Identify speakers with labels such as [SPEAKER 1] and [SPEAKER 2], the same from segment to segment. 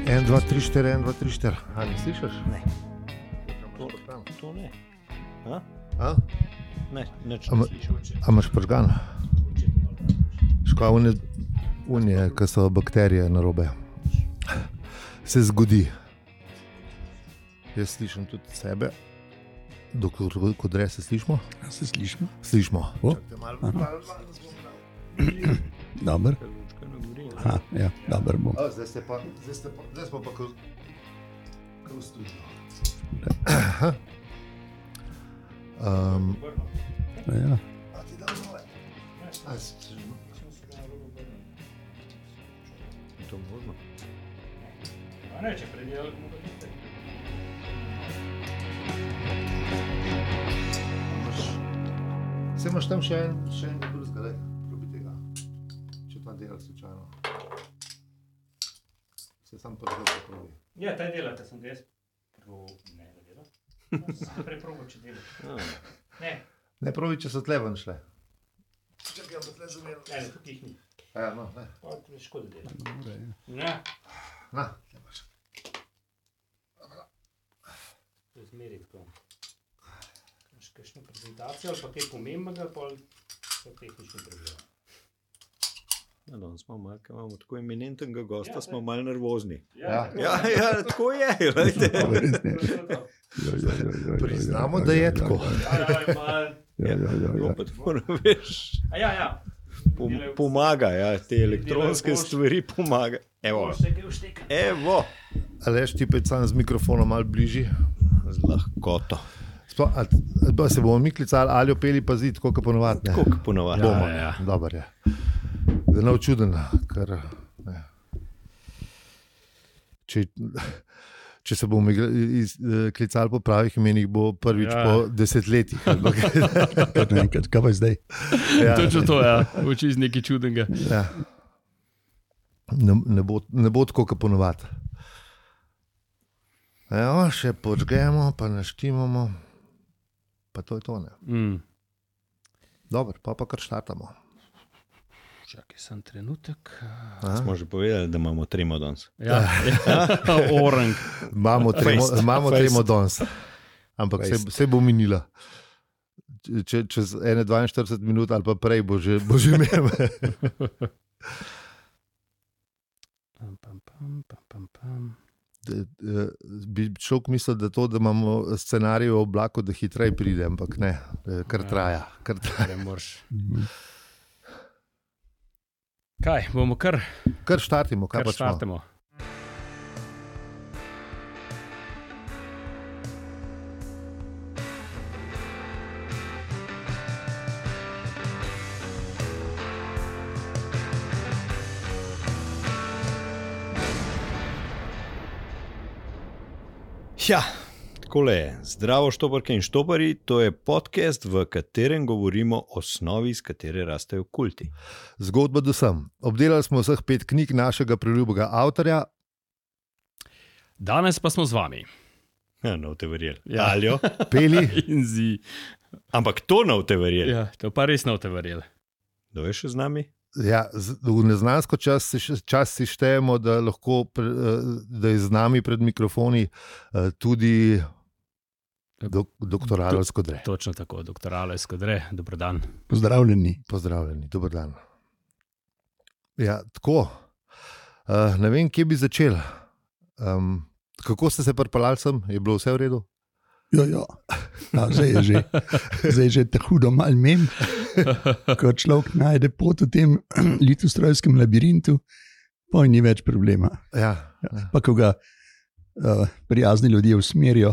[SPEAKER 1] 1, 2, 3, 4, 1, 2, 3, 4. A ne slišiš?
[SPEAKER 2] Ne. To ne.
[SPEAKER 1] A?
[SPEAKER 2] Ne, nič ne slišim.
[SPEAKER 1] A imaš prižgan? Škoda unije, ki so bakterije narobe. Se zgodi. Jaz slišim tudi sebe. Doktor Kodre, se slišimo?
[SPEAKER 3] Ja, se slišimo.
[SPEAKER 1] Slišimo.
[SPEAKER 3] Dobar. Aha, ja, dober bom.
[SPEAKER 1] Zdaj smo pa ko v studiu.
[SPEAKER 3] Ja.
[SPEAKER 1] A ti dam nove?
[SPEAKER 2] Je to možno?
[SPEAKER 4] Ne, če predelali bomo vidite.
[SPEAKER 1] Se imaš tam še enega drugega, daj, probi tega. Če ta dela slučajno. Se sam prvo probi.
[SPEAKER 4] Ja, taj delate, sem jaz. Ne, da dela. Sem preprobo, če dela. Ne.
[SPEAKER 1] Ne probi, če so tle ven šle. Čakaj, pa tle zameril.
[SPEAKER 4] Ne, tukaj jih ni.
[SPEAKER 1] Ja, no, ne.
[SPEAKER 4] Pa to je škoda dela.
[SPEAKER 3] Dobre, ja.
[SPEAKER 4] Ne.
[SPEAKER 1] Na, tle imaš.
[SPEAKER 4] To je zmeri tako. Kakšno prezentacijo ali pa kaj pomembnega, pa so tehnični problemi.
[SPEAKER 2] Ja, danes smo malo, ker imamo tako eminentnega gosta, smo malo nervozni.
[SPEAKER 1] Ja.
[SPEAKER 2] Ja, tako je, glejte.
[SPEAKER 1] Priznamo, da je tako.
[SPEAKER 2] Ropet moram veš.
[SPEAKER 4] Ja.
[SPEAKER 2] Pomaga, ja, te elektronske stvari pomaga. Evo. Evo.
[SPEAKER 1] Aleš, ti pet sam z mikrofonom malo bližji.
[SPEAKER 2] Z lahkoto.
[SPEAKER 1] Se bomo mi klicali ali opeli pa zid, tako kot ponovadi.
[SPEAKER 2] Tako kot ponovadi.
[SPEAKER 1] Bomo,
[SPEAKER 2] Ja.
[SPEAKER 1] dober je. Da ne čuden, ker ne. Če se bomo klicali po pravih imenih, bo prvič po desetletjih.
[SPEAKER 3] Kar naenkrat, kaj pa zdaj?
[SPEAKER 1] Ja,
[SPEAKER 4] Točno to, ja. Uči iz nekaj čudnega.
[SPEAKER 1] ja. Ne bo tako, kot ponovadi. Evo, še počgemo, pa naštimamo, pa to je to, ne. Dobro, pa kar štartamo.
[SPEAKER 4] Čakaj, sem trenutek.
[SPEAKER 2] Smo že povedali, da imamo tremo danes.
[SPEAKER 4] Ja, orang.
[SPEAKER 1] Imamo tremo danes, ampak se bo minila. Čez 42 minut ali pa prej bo že imel. Bi človek mislil, da to, da imamo scenarij v oblaku, da hitreje pride, ampak ne, kar traja.
[SPEAKER 4] Ne moreš. Kaj, bomo kar
[SPEAKER 1] Štartimo, kaj pa
[SPEAKER 4] štartimo.
[SPEAKER 2] Ja, takole je. Zdravo štoparke in štopari, to je podcast, v katerem govorimo o snovi, iz katere rastejo kulti.
[SPEAKER 1] Zgodba do sem. Obdelali smo vseh 5 knjig našega priljubega avtorja.
[SPEAKER 4] Danes pa smo z vami.
[SPEAKER 2] Ja, no te verjeli.
[SPEAKER 4] Ja.
[SPEAKER 2] Aljo,
[SPEAKER 1] Peli,
[SPEAKER 4] In zi.
[SPEAKER 2] ampak to no te verjeli.
[SPEAKER 4] Ja, to pa res ne boste verjeli.
[SPEAKER 2] Kdo je še z nami?
[SPEAKER 1] ja, v neznansko čas si štejemo, da lahko da je z nami pred mikrofoni tudi doktor Alojz Kodre.
[SPEAKER 4] Točno tako, doktor Alojz Kodre, dober dan.
[SPEAKER 3] Pozdravljeni.
[SPEAKER 1] Pozdravljeni, dober dan. Ja, tako, ne vem, kje bi začel. Kako ste se pripeljali sem? Je bilo vse v redu?
[SPEAKER 3] Ja. Zdaj je že te hudo malo menj, ko človek najde pot v tem litostrojskem labirintu, pa ni več problema.
[SPEAKER 1] Ja.
[SPEAKER 3] Pa ko ga prijazni ljudje usmerijo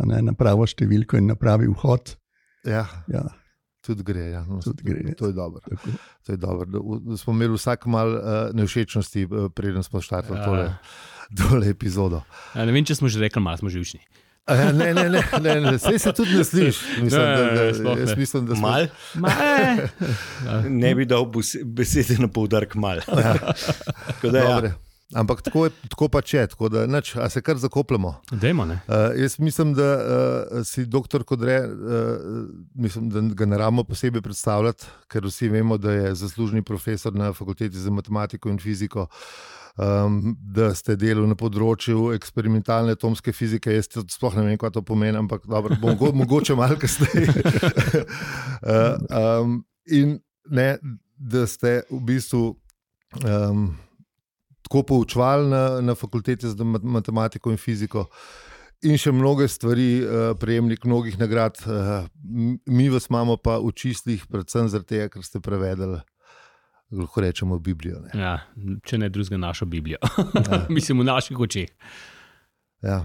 [SPEAKER 3] na pravo številko in na pravi vhod.
[SPEAKER 1] Ja,
[SPEAKER 3] Ja,
[SPEAKER 1] tudi gre. Ja. No,
[SPEAKER 3] Tudi gre.
[SPEAKER 1] To je dobro.
[SPEAKER 3] tako.
[SPEAKER 1] To je dobro. Da smo imeli vsak mal nevšečnosti, preden smo štartali tole epizodo.
[SPEAKER 4] Ne vem, če smo že rekli, malo smo živčni.
[SPEAKER 1] Ne, saj se tudi ne sliši.
[SPEAKER 4] Sploh
[SPEAKER 1] Mislim, da smo...
[SPEAKER 2] Mal? Ne bi dal besede na poudarek mal. Tako da, ja.
[SPEAKER 1] Dobre. ampak tako pač je, tako da a se kar zakopljamo.
[SPEAKER 5] Dajmo, ne?
[SPEAKER 1] Jaz mislim, da si doktor Kodre, mislim, da ga ne rabimo posebej predstavljati, ker vsi vemo, da je zaslužni profesor na fakulteti za matematiko in fiziko, da ste delali na področju eksperimentalne atomske fizike. Jaz sploh ne vem, kaj to pomeni, ampak dobro, mogoče malo kasneje. In ne, da ste v bistvu tako poučevali na fakulteti za matematiko in fiziko in še mnoge stvari, prejemnik mnogih nagrad. Mi vas imamo pa v čislih, predvsem zaradi tega, ker ste prevedli, lahko rečemo, Biblijo. Ne?
[SPEAKER 5] Ja, če ne drugega našo Biblijo. Ja. Mislim, v naših očeh.
[SPEAKER 1] Ja.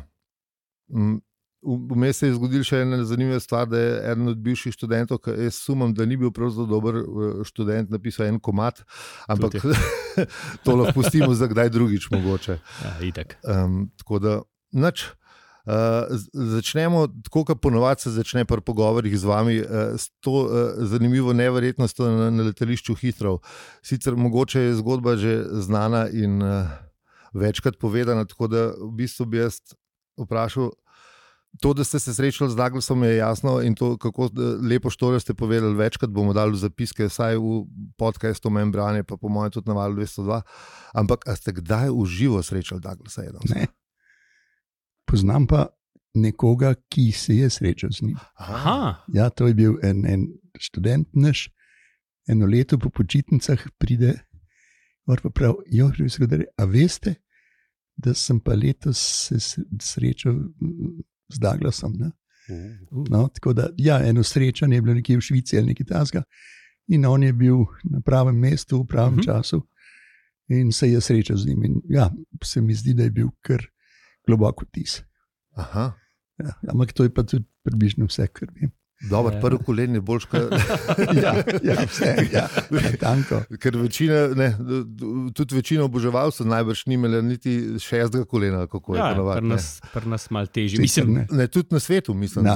[SPEAKER 1] Vmes se je zgodil še ena zanimiva stvar, da je eden od bivših študentov, ki jaz sumam, da ni bil prav zelo dober študent, napisal en komad, ampak to lahko pustimo za kdaj drugič mogoče.
[SPEAKER 5] Ja, itak.
[SPEAKER 1] Tako da, nič. Začnemo tako, kot ponovadi se začne pri pogovorih z vami, s to zanimivo neverjetnostjo na letališču Heathrow. Sicer mogoče je zgodba že znana in večkrat povedana, tako da v bistvu bi jaz vprašal, to, da ste se srečali z Douglasom, je jasno, in to, kako lepo štorijo ste povedali, večkrat bomo dali v zapiske, vsaj v podcastu Membrane, pa po mojem tudi na Valu 202. Ampak a ste kdaj v živo srečali Douglasa?
[SPEAKER 3] Ne. Poznam pa nekoga, ki se je srečal z njim.
[SPEAKER 5] Aha.
[SPEAKER 3] Ja, to je bil en študent naš, eno leto po počitnicah pride, pa pravi, a veste, da sem pa letos se srečal z Douglasom. No, tako da, ja, eno srečanje je bilo nekje v Švici ali nekaj takega in on je bil na pravem mestu v pravem času in se je srečal z njim. In ja, se mi zdi, da je bil kar globok vtis.
[SPEAKER 1] Aha.
[SPEAKER 3] Ja, ampak to je pa tudi približno vse, kar vem.
[SPEAKER 1] Dobro, prvo kolen je boljš,
[SPEAKER 3] vse, tanko.
[SPEAKER 1] Ker tudi večina oboževalcev najbrž ni imela niti 6. kolena, kako je ponovadi.
[SPEAKER 5] Pri nas malo težje.
[SPEAKER 3] Mislim,
[SPEAKER 1] ne, tudi na svetu, mislim.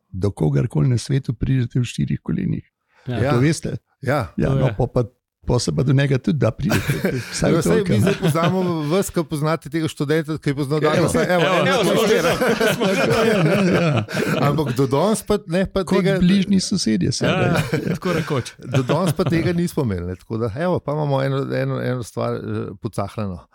[SPEAKER 3] Do kogarkoli na svetu pridete v 4 kolenih.
[SPEAKER 1] Ja.
[SPEAKER 3] To veste?
[SPEAKER 1] Ja.
[SPEAKER 3] No, pa se pa do njega tudi da pridete.
[SPEAKER 1] Vsaj mi zdaj poznamo vas, ki poznate tega študenta, ki je poznal Douglasa. Ampak do danes pa ne.
[SPEAKER 3] Kot bližnji sosedje.
[SPEAKER 5] Tako rekoč.
[SPEAKER 1] Do danes pa tega nismo imeli. Tako da, pa imamo eno stvar pocahljeno.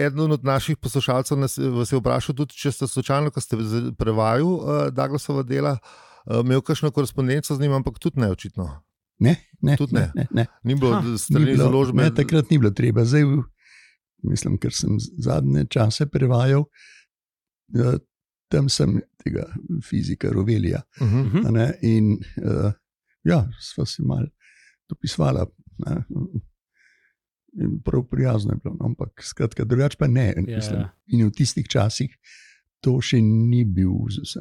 [SPEAKER 1] Eden od naših poslušalcev vas je vprašal tudi, če ste slučajno, ko ste prevajali Douglasova dela, imel kakšno korespondenco z njim, ampak tudi ne očitno.
[SPEAKER 3] Ne.
[SPEAKER 1] Ni bilo strani založbe.
[SPEAKER 3] Ne, takrat ni bilo treba. Zdaj, mislim, ker sem zadnje čase prevajal, tam sem tega fizika Rovelija. In sva si malo dopisvala. In prav prijazno je bilo, ampak skratka, drugače pa ne. Mislim, in v tistih časih to še ni bil uzus.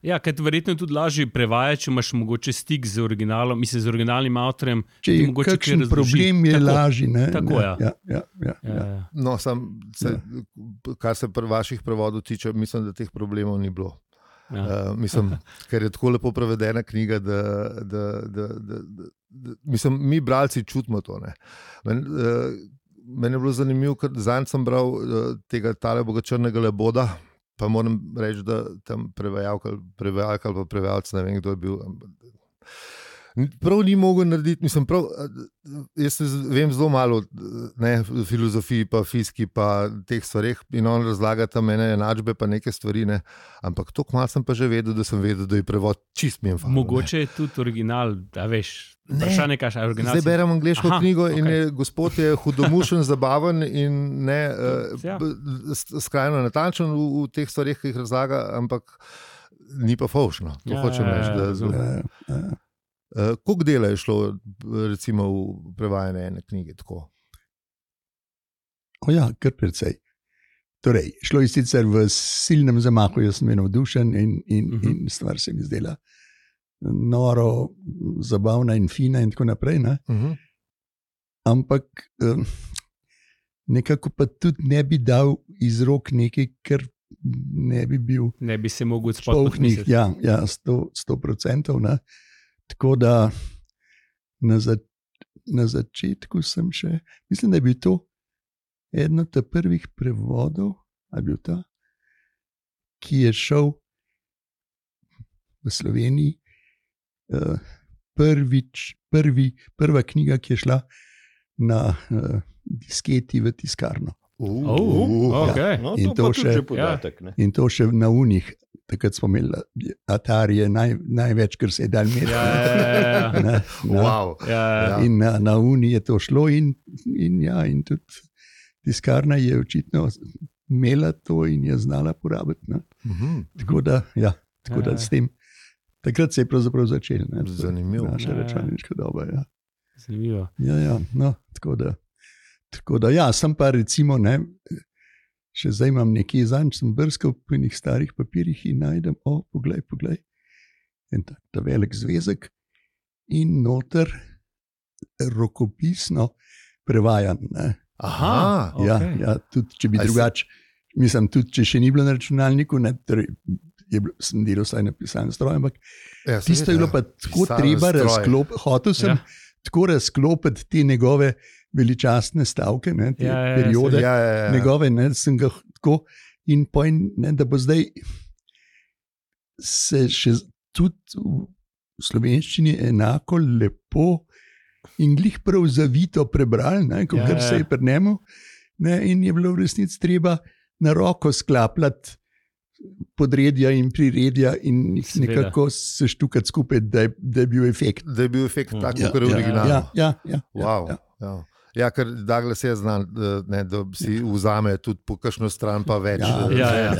[SPEAKER 5] Ja, ker verjetno je tudi lažje prevajati, če imaš mogoče stik z originalom, mislim, z originalnim avtorjem.
[SPEAKER 3] Če je kakšen problem, je lažje.
[SPEAKER 5] Tako, ja.
[SPEAKER 1] No, kar se vaših prevodov tiče, mislim, da teh problemov ni bilo. Mislim, ker je tako lepo prevedena knjiga, da mislim, mi bralci čutimo to. Meni je bilo zanimivo, ker zanj sem bral tega Taleboga Črnega Leboda, pa moram reči, da tam prevajalka ali pa prevajalc, ne vem, kdo je bil. Prav ni mogel narediti, mislim, jaz vem zelo malo o filozofiji, pa fiziki, pa teh stvareh in on razlaga tam ene enačbe, pa neke stvari, ampak toliko malo sem pa že vedel, da je prevod čist mi je fajn.
[SPEAKER 5] Mogoče je tudi original, da veš, vprašanje, kaj je original.
[SPEAKER 1] Zdaj berem angleško knjigo in gospod je hudomušen, zabaven in skrajno natančen v teh stvareh, ki jih razlaga, ampak ni pa fovšno. To hočem reči. Koliko dela je šlo recimo v prevajanje ene knjige tako?
[SPEAKER 3] Kar precej. Torej, šlo je sicer v silnem zamahu, jaz sem navdušen in stvar se mi zdela noro, zabavna in fina in tako naprej. Ampak nekako pa tudi ne bi dal iz rok nekaj, ker ne bi bil
[SPEAKER 5] ne bi se mogel spolnih.
[SPEAKER 3] Ja, 100%. Tako da na začetku sem še, mislim, da je bil to eden od prvih prevodov, ki je šel v Sloveniji. Prva knjiga, ki je šla na disketi v tiskarno.
[SPEAKER 5] Okay.
[SPEAKER 2] No,
[SPEAKER 3] In
[SPEAKER 2] to
[SPEAKER 3] to
[SPEAKER 2] pa tudi
[SPEAKER 3] še-
[SPEAKER 2] že podatek. Ne?
[SPEAKER 3] In to še na unih, takrat smo imeli Atari, največ, kar se je dal imeti.
[SPEAKER 5] Ja.
[SPEAKER 1] Wow.
[SPEAKER 5] Ja.
[SPEAKER 3] In na uni je to šlo, in tudi tiskarna je očitno imela to in je znala porabiti. Ne. Tako da s tem. Takrat se je pravzaprav začel. Ne,
[SPEAKER 1] Zanimivo.
[SPEAKER 3] Naša računalniška doba. Ja.
[SPEAKER 5] Zanimivo.
[SPEAKER 3] No, tako da, ja, sem pa recimo, ne, še zdaj imam nekje zanj, sem brskal po enih starih papirjih in najdem, poglej, en ta velik zvezek in noter rokopisno prevajan. Ne.
[SPEAKER 1] Aha,
[SPEAKER 5] okej.
[SPEAKER 3] Ja, tudi če bi
[SPEAKER 1] A si-
[SPEAKER 3] drugače, mislim, tudi če še ni bilo na računalniku, ne, torej sem delal vsaj na pisalnem stroju, ampak
[SPEAKER 1] ja,
[SPEAKER 3] tisto je bilo pa tako
[SPEAKER 1] Pisalni
[SPEAKER 3] treba
[SPEAKER 1] stroj.
[SPEAKER 3] razklopiti, hotel sem tako razklopiti te njegove veličastne stavke, ne, te periode,
[SPEAKER 1] Ja.
[SPEAKER 3] njegove, ne, sem ga tako in pojem, ne, da bo zdaj se še tudi v slovenščini enako lepo in glih prav zavito prebral, kot
[SPEAKER 5] Ja.
[SPEAKER 3] se je pri njemu, ne, in je bilo v resnici treba na roko sklapljati podredja in priredja in jih
[SPEAKER 5] Seveda.
[SPEAKER 3] nekako seštukati skupaj, da je bil efekt.
[SPEAKER 1] Da je bil efekt tak,
[SPEAKER 3] Ja,
[SPEAKER 1] kot je originalno.
[SPEAKER 3] Ja.
[SPEAKER 1] Wow. Ja, ker Douglas je znan, ne, da si vzame tudi po kakšno stran, pa več.
[SPEAKER 5] Ja.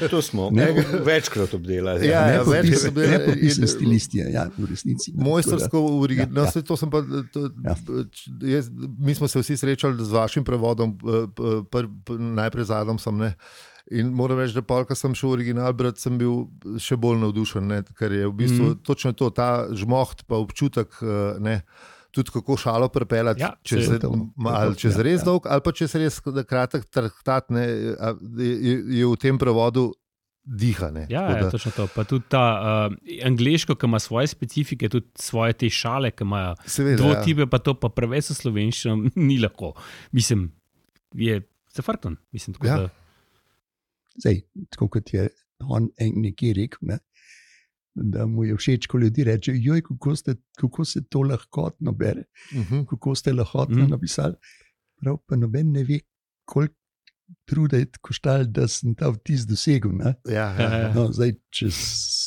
[SPEAKER 2] To smo
[SPEAKER 3] Ne.
[SPEAKER 2] večkrat obdelali.
[SPEAKER 1] Ja, ja, večkrat so bile-
[SPEAKER 3] Nepopisne
[SPEAKER 1] in-
[SPEAKER 3] stilistije, ja, v resnici. ne,
[SPEAKER 1] Mojstrsko originalno,
[SPEAKER 3] Ja,
[SPEAKER 1] to sem pa. Mi smo se vsi srečali z vašim prevodom, najprej z Adamsom. Ne? In moram reči, da polka sem šel v original brati, sem bil še bolj navdušen, ne? Ker je v bistvu točno to, ta žmoht, pa občutek. Ne? Tudi kako šalo prepeljati,
[SPEAKER 5] Ja,
[SPEAKER 1] če
[SPEAKER 5] saj
[SPEAKER 1] se
[SPEAKER 3] to.
[SPEAKER 1] čez
[SPEAKER 3] Ja,
[SPEAKER 1] res
[SPEAKER 3] ja.
[SPEAKER 1] dolg, ali pa če se res kratek traktat, ne, je v tem prevodu dihane.
[SPEAKER 5] Ja, točno to. Pa tudi ta angliško, ki ima svoje specifike, tudi svoje te šale, ki imajo
[SPEAKER 1] Seveda,
[SPEAKER 5] dvotipe, pa to pa preveč v slovenščino ni lahko. Mislim, je zafrknjen. Mislim, tako
[SPEAKER 1] Ja.
[SPEAKER 5] da.
[SPEAKER 3] Zdaj, tako kot je on nekje rekel, ne, da mu je všeč, ko ljudje rečejo, joj, kako se to lahkotno bere, kako ste lahkotno napisali. Prav pa noben ne ve, koliko truda je koštalo, da sem ta vtis dosegel. Ne.
[SPEAKER 1] Ja.
[SPEAKER 3] No, zdaj, če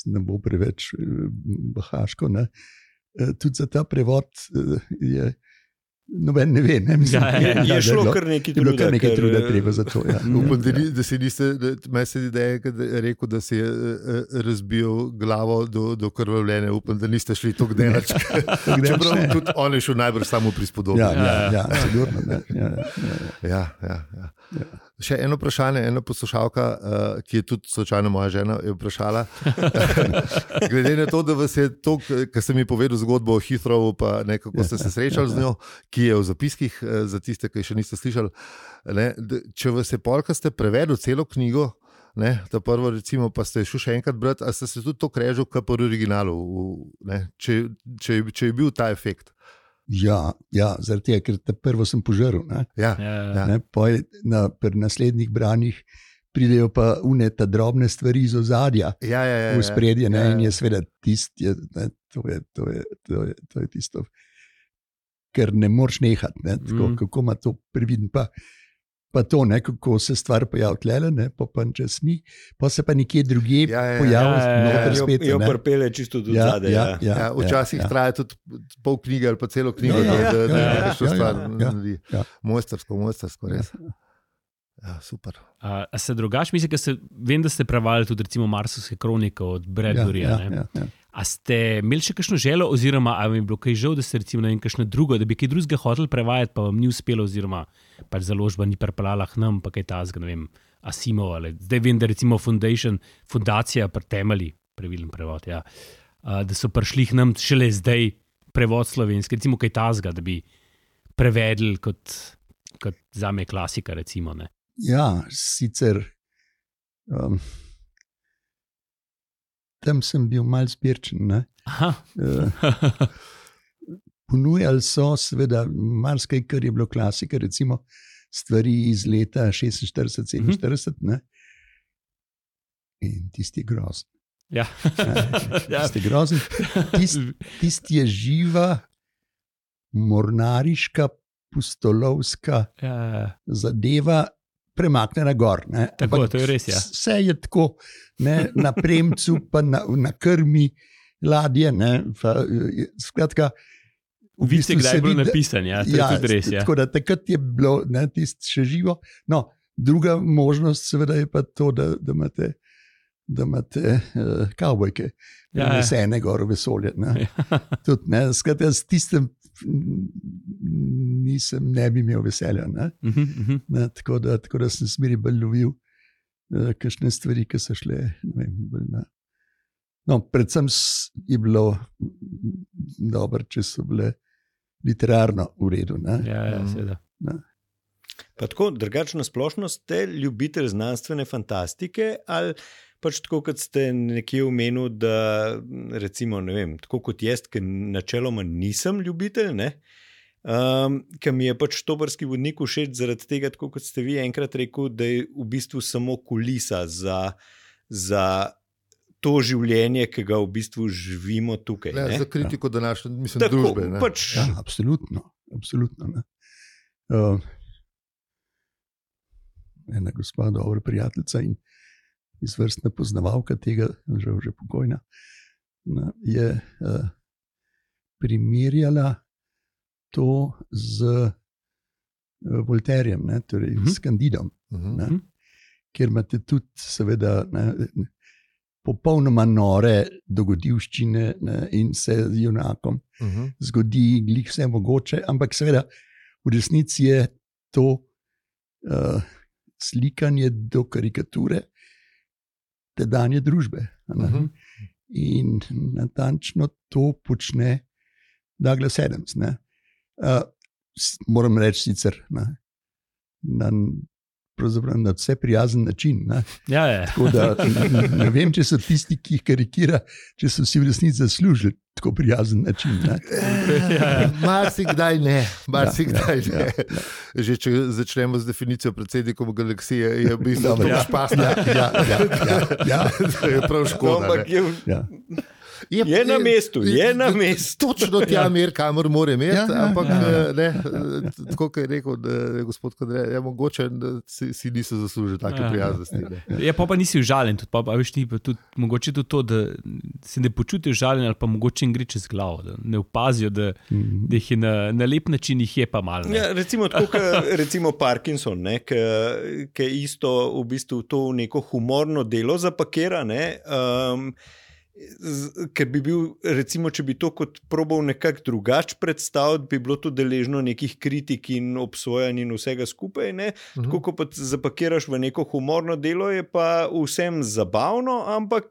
[SPEAKER 3] ne bo preveč bahaško, ne, tudi za ta prevod je noben ne ve. Ne, mislim,
[SPEAKER 2] Je šlo kar nekaj
[SPEAKER 3] je bilo
[SPEAKER 2] truda.
[SPEAKER 3] kar nekaj
[SPEAKER 2] ker,
[SPEAKER 3] truda treba za to. Ja.
[SPEAKER 1] Upam, da si niste, meni se zdi, da je rekel, da si je razbil glavo do krvavljenja. Upam, da niste šli tako delač. Čeprav
[SPEAKER 3] ne.
[SPEAKER 1] tudi on je šel najbrž samo prispodobno.
[SPEAKER 3] Ja, sigurno. Ne.
[SPEAKER 1] Ja. Še eno vprašanje, ena poslušalka, ki je tudi slučajno moja žena, je vprašala. Glede na to, da vas je to, kar sem mi povedal zgodbo o Heathrowu, pa nekako ste se srečali z njo, ki je v zapiskih za tiste, ki še niste slišali. Ne, če vas je polka, ste prevedli celo knjigo, ne, ta prvo recimo, pa ste šli še enkrat brati, a ste se tudi to krežil, kot po originalu, ne, če je bil ta efekt.
[SPEAKER 3] Ja, zaradi tega, ker te prvo sem požrl. Ne.
[SPEAKER 1] Ja.
[SPEAKER 3] Ne, pri naslednjih branjih pridejo pa ta drobne stvari iz ozadja v spredje, in je seveda tisto, to je tisto, kar ne moreš nehati, ne, tako, kako ima to previden. Pa to, ne, kako se stvar pojavlja tlele, pa čez ni, pa se pa nekje drugje pojavlja, noter spet.
[SPEAKER 2] Jo prpele čisto do zadaj.
[SPEAKER 1] Ja, včasih traja tudi pol knjige ali pa celo knjigo, da nekaj stvar naredi. Mojstrsko, res. Ja, super.
[SPEAKER 5] A se drugače, mislim, vem, da ste prevajali tudi recimo Marsovske kronike od Bradburyja.
[SPEAKER 3] Ja.
[SPEAKER 5] A ste imeli še kakšno željo, oziroma ali vam je bilo kaj žal, da ste recimo kakšno drugo, da bi kaj drugega hoteli prevajati, pa vam ni uspelo, oziroma pač založba ni pripeljala k nam, pa kaj tazga, ne vem, Asimov ali zdaj vem, da recimo fundacija pri temelji, pravilen prevod, ja, da so prišli k nam šele zdaj prevod slovenski, recimo kaj tazga, da bi prevedli kot zame klasika, recimo, ne.
[SPEAKER 3] Ja, sicer tam sem bil mal zbirčen. ponujali so seveda marsikaj, kar je bilo klasika, recimo stvari iz leta 46-47, ne? In tisti je grozen.
[SPEAKER 5] Ja.
[SPEAKER 3] Tisti je grozen. Tisti je živa, mornariška, pustolovska zadeva, premaknjena gor. Ne?
[SPEAKER 5] Tako,
[SPEAKER 3] Ampak
[SPEAKER 5] to je res, ja.
[SPEAKER 3] Vse je tako, ne? Na premcu, pa na krmi ladje. Skratka,
[SPEAKER 5] Vidite, kdaj je bilo napisano, ja, to je tudi res. Ja.
[SPEAKER 3] Tako da takrat je bilo tisto še živo. No, druga možnost seveda je pa to, da imate kavbojke, nesene gor v vesolje. Skratka, s tistem ne bi imel veselja. Tako da sem smeri bolj lovil kakšne stvari, ki so šle, ne vem, bolj na. No, predvsem je bilo dobro, če so bile literarno v redu.
[SPEAKER 5] Ja, seveda.
[SPEAKER 2] Pa tako, drugačno splošno ste ljubitelj znanstvene fantastike ali pač tako, kot ste nekje omenil, da recimo, ne vem, tako kot jaz, ker načeloma nisem ljubitelj, ne? Ker mi je pač Štoparski vodnik všeč zaradi tega, tako kot ste vi enkrat rekel, da je v bistvu samo kulisa za to življenje, ki ga v bistvu živimo tukaj.
[SPEAKER 1] Za kritiko današnje, mislim, tako, družbe.
[SPEAKER 3] Pač... Ja, absolutno. Ena gospa, dobra prijateljica in izvrstna poznavalka tega, žal že pokojna, je primerjala to z Voltairjem, torej s Candidom, kjer imate tudi seveda popolnoma nore dogodivščine in se z junakom zgodi glih vse mogoče, ampak seveda v resnici je to slikanje do karikature tedanje družbe. In natančno to počne Douglas Adams. Moram reči sicer pravzaprav na vse prijazen način.
[SPEAKER 5] Ja.
[SPEAKER 3] Tako da ne vem, če so tisti, ki jih karikira, če so si v resnici zaslužili tako prijazen način.
[SPEAKER 1] Marsikdaj ne. Že če začnemo z definicijo predsednikov galaksije, je v bistvu to špasno.
[SPEAKER 3] Ja.
[SPEAKER 1] To je prav škoda.
[SPEAKER 2] Je na mestu.
[SPEAKER 1] Točno tja mer, kamor mora imeti, ampak tako, kot je rekel gospod Kadre, mogoče si niso zaslužili take prijaznosti.
[SPEAKER 5] Pa nisi užaljen, mogoče tudi to, da se ne počutijo užaljen, ali pa mogoče jim gre čez glavo, da ne opazijo, da jih je na lep način, jih je pa malo.
[SPEAKER 2] Ja, recimo tako, recimo Parkinson, ki isto v bistvu to neko humorno delo zapakira, ker bi bil, recimo, če bi to kot probal nekako drugače predstaviti, bi bilo to deležno nekih kritik in obsojanj in vsega skupaj. Tako, ko pa zapakiraš v neko humorno delo, je pa vsem zabavno, ampak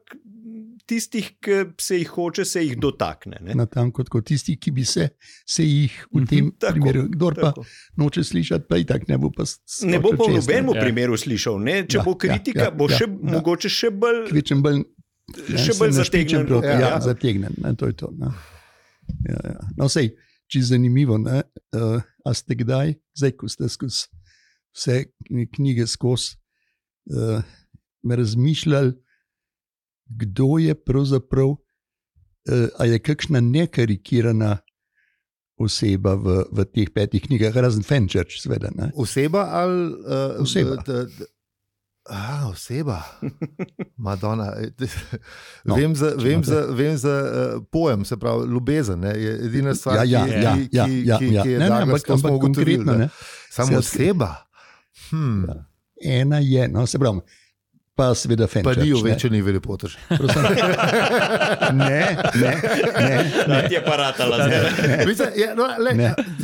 [SPEAKER 2] tistih, ki se jih hoče, se jih dotakne.
[SPEAKER 3] Natanko kot tisti, ki bi se jih v tem primeru, kdor pa noče slišati, pa i tak ne bo pa
[SPEAKER 2] ne bo pa v nobenem primeru slišal. Če bo kritika, bo še mogoče še bolj še bolj zategnen.
[SPEAKER 3] Zategnen, to je to. No, sej, če je zanimivo, a ste kdaj, zdaj, ko ste skozi vse knjige razmišljali, kdo je pravzaprav, a je kakšna nekarikirana oseba v teh 5 knjigah, razen Fenchurch, seveda.
[SPEAKER 1] Oseba ali
[SPEAKER 3] oseba?
[SPEAKER 1] Oseba. Madonna. Vem za pojem, se pravi, ljubezen. Je edina stvar, ki je
[SPEAKER 3] ampak konkretno.
[SPEAKER 1] Samo oseba.
[SPEAKER 3] Ena je, se pravi, pa seveda Fenchurch.
[SPEAKER 1] Pa ni uvečeni velipotež.
[SPEAKER 3] Ne.
[SPEAKER 2] Ti je paratala.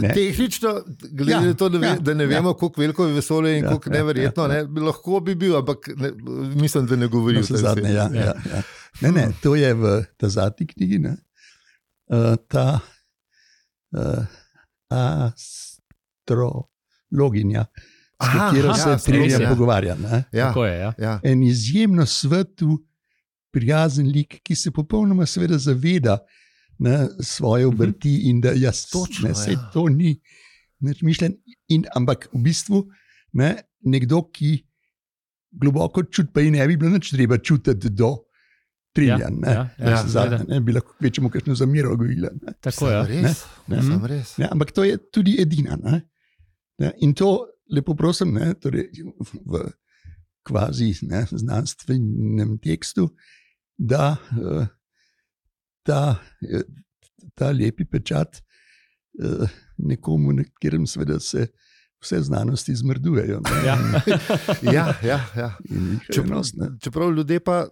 [SPEAKER 1] Tehnično, glede na to, da ne vemo, koliko veliko je vesolje in koliko neverjetno, lahko bi bil, ampak mislim, da ne govori vse zadnje.
[SPEAKER 3] Ne, to je v ta zadnji knjigi, ta astrologinja, s katero se Trilja pogovarja. En izjemno svetu prijazen lik, ki se popolnoma seveda zaveda svoje obrti in da jaz
[SPEAKER 1] Točno,
[SPEAKER 3] sej to ni nič mišljen. Ampak v bistvu nekdo, ki globoko čuti, pa ji ne bi bilo nič treba čutiti do triljan. Ne bi lahko večjemu kakšno zamero gojila.
[SPEAKER 5] Tako je.
[SPEAKER 1] Res.
[SPEAKER 3] Ampak to je tudi edina. In to lepo prosim, torej v kvazi znanstvenem tekstu, da ta lepi pečat nekomu, na katerem seveda se vse znanosti zmrdujejo.
[SPEAKER 1] Ja. Čeprav ljudje pa,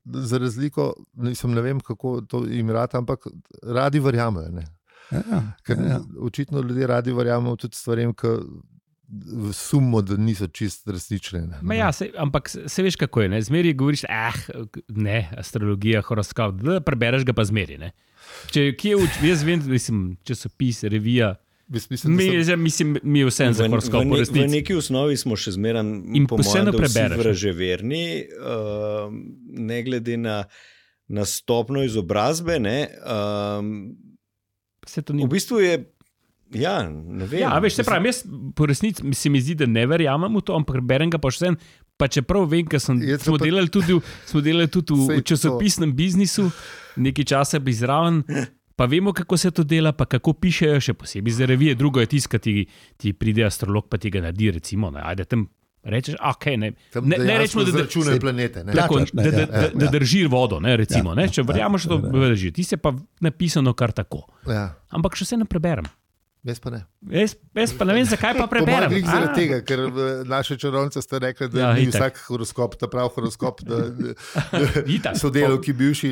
[SPEAKER 1] za razliko, ne vem, kako to jim rata, ampak radi verjamejo. Očitno ljudje radi verjamejo tudi stvarem, ki sumimo, da niso čist resnične.
[SPEAKER 5] Ampak se veš, kako je. Zmeri govoriš, astrologija, horoskop, da prebereš ga pa zmeri. Jaz vem, časopis, revija. Mi je vse za horoskop.
[SPEAKER 2] V neki osnovi smo še zmeraj vraževerni, ne glede na stopno izobrazbe. V bistvu je. Ne vem.
[SPEAKER 5] Veš, se pravi, jaz po resnici se mi zdi, da ne verjamem v to, ampak berem ga pa še vsem. Pa čeprav vem, ker smo delali tudi v časopisnem biznisu, nekaj časa bi zraven, pa vemo, kako se to dela, pa kako pišejo, še posebej za revije. Drugo je tiskati, ti pride astrolog, pa ti ga naredi, recimo. Ajde tam rečeš, ne rečemo, da
[SPEAKER 1] računajo planete.
[SPEAKER 5] Da drži vodo, recimo. Če verjameš, da to drži. Ti se pa napisano kar tako. Ampak še vse ne preberem.
[SPEAKER 1] Jaz pa ne.
[SPEAKER 5] Jaz pa ne vem, zakaj pa preberem.
[SPEAKER 1] Zaradi tega, ker naše čarovnice ste rekli, da ni vsak horoskop, ta prav horoskop, da sodelavki bivši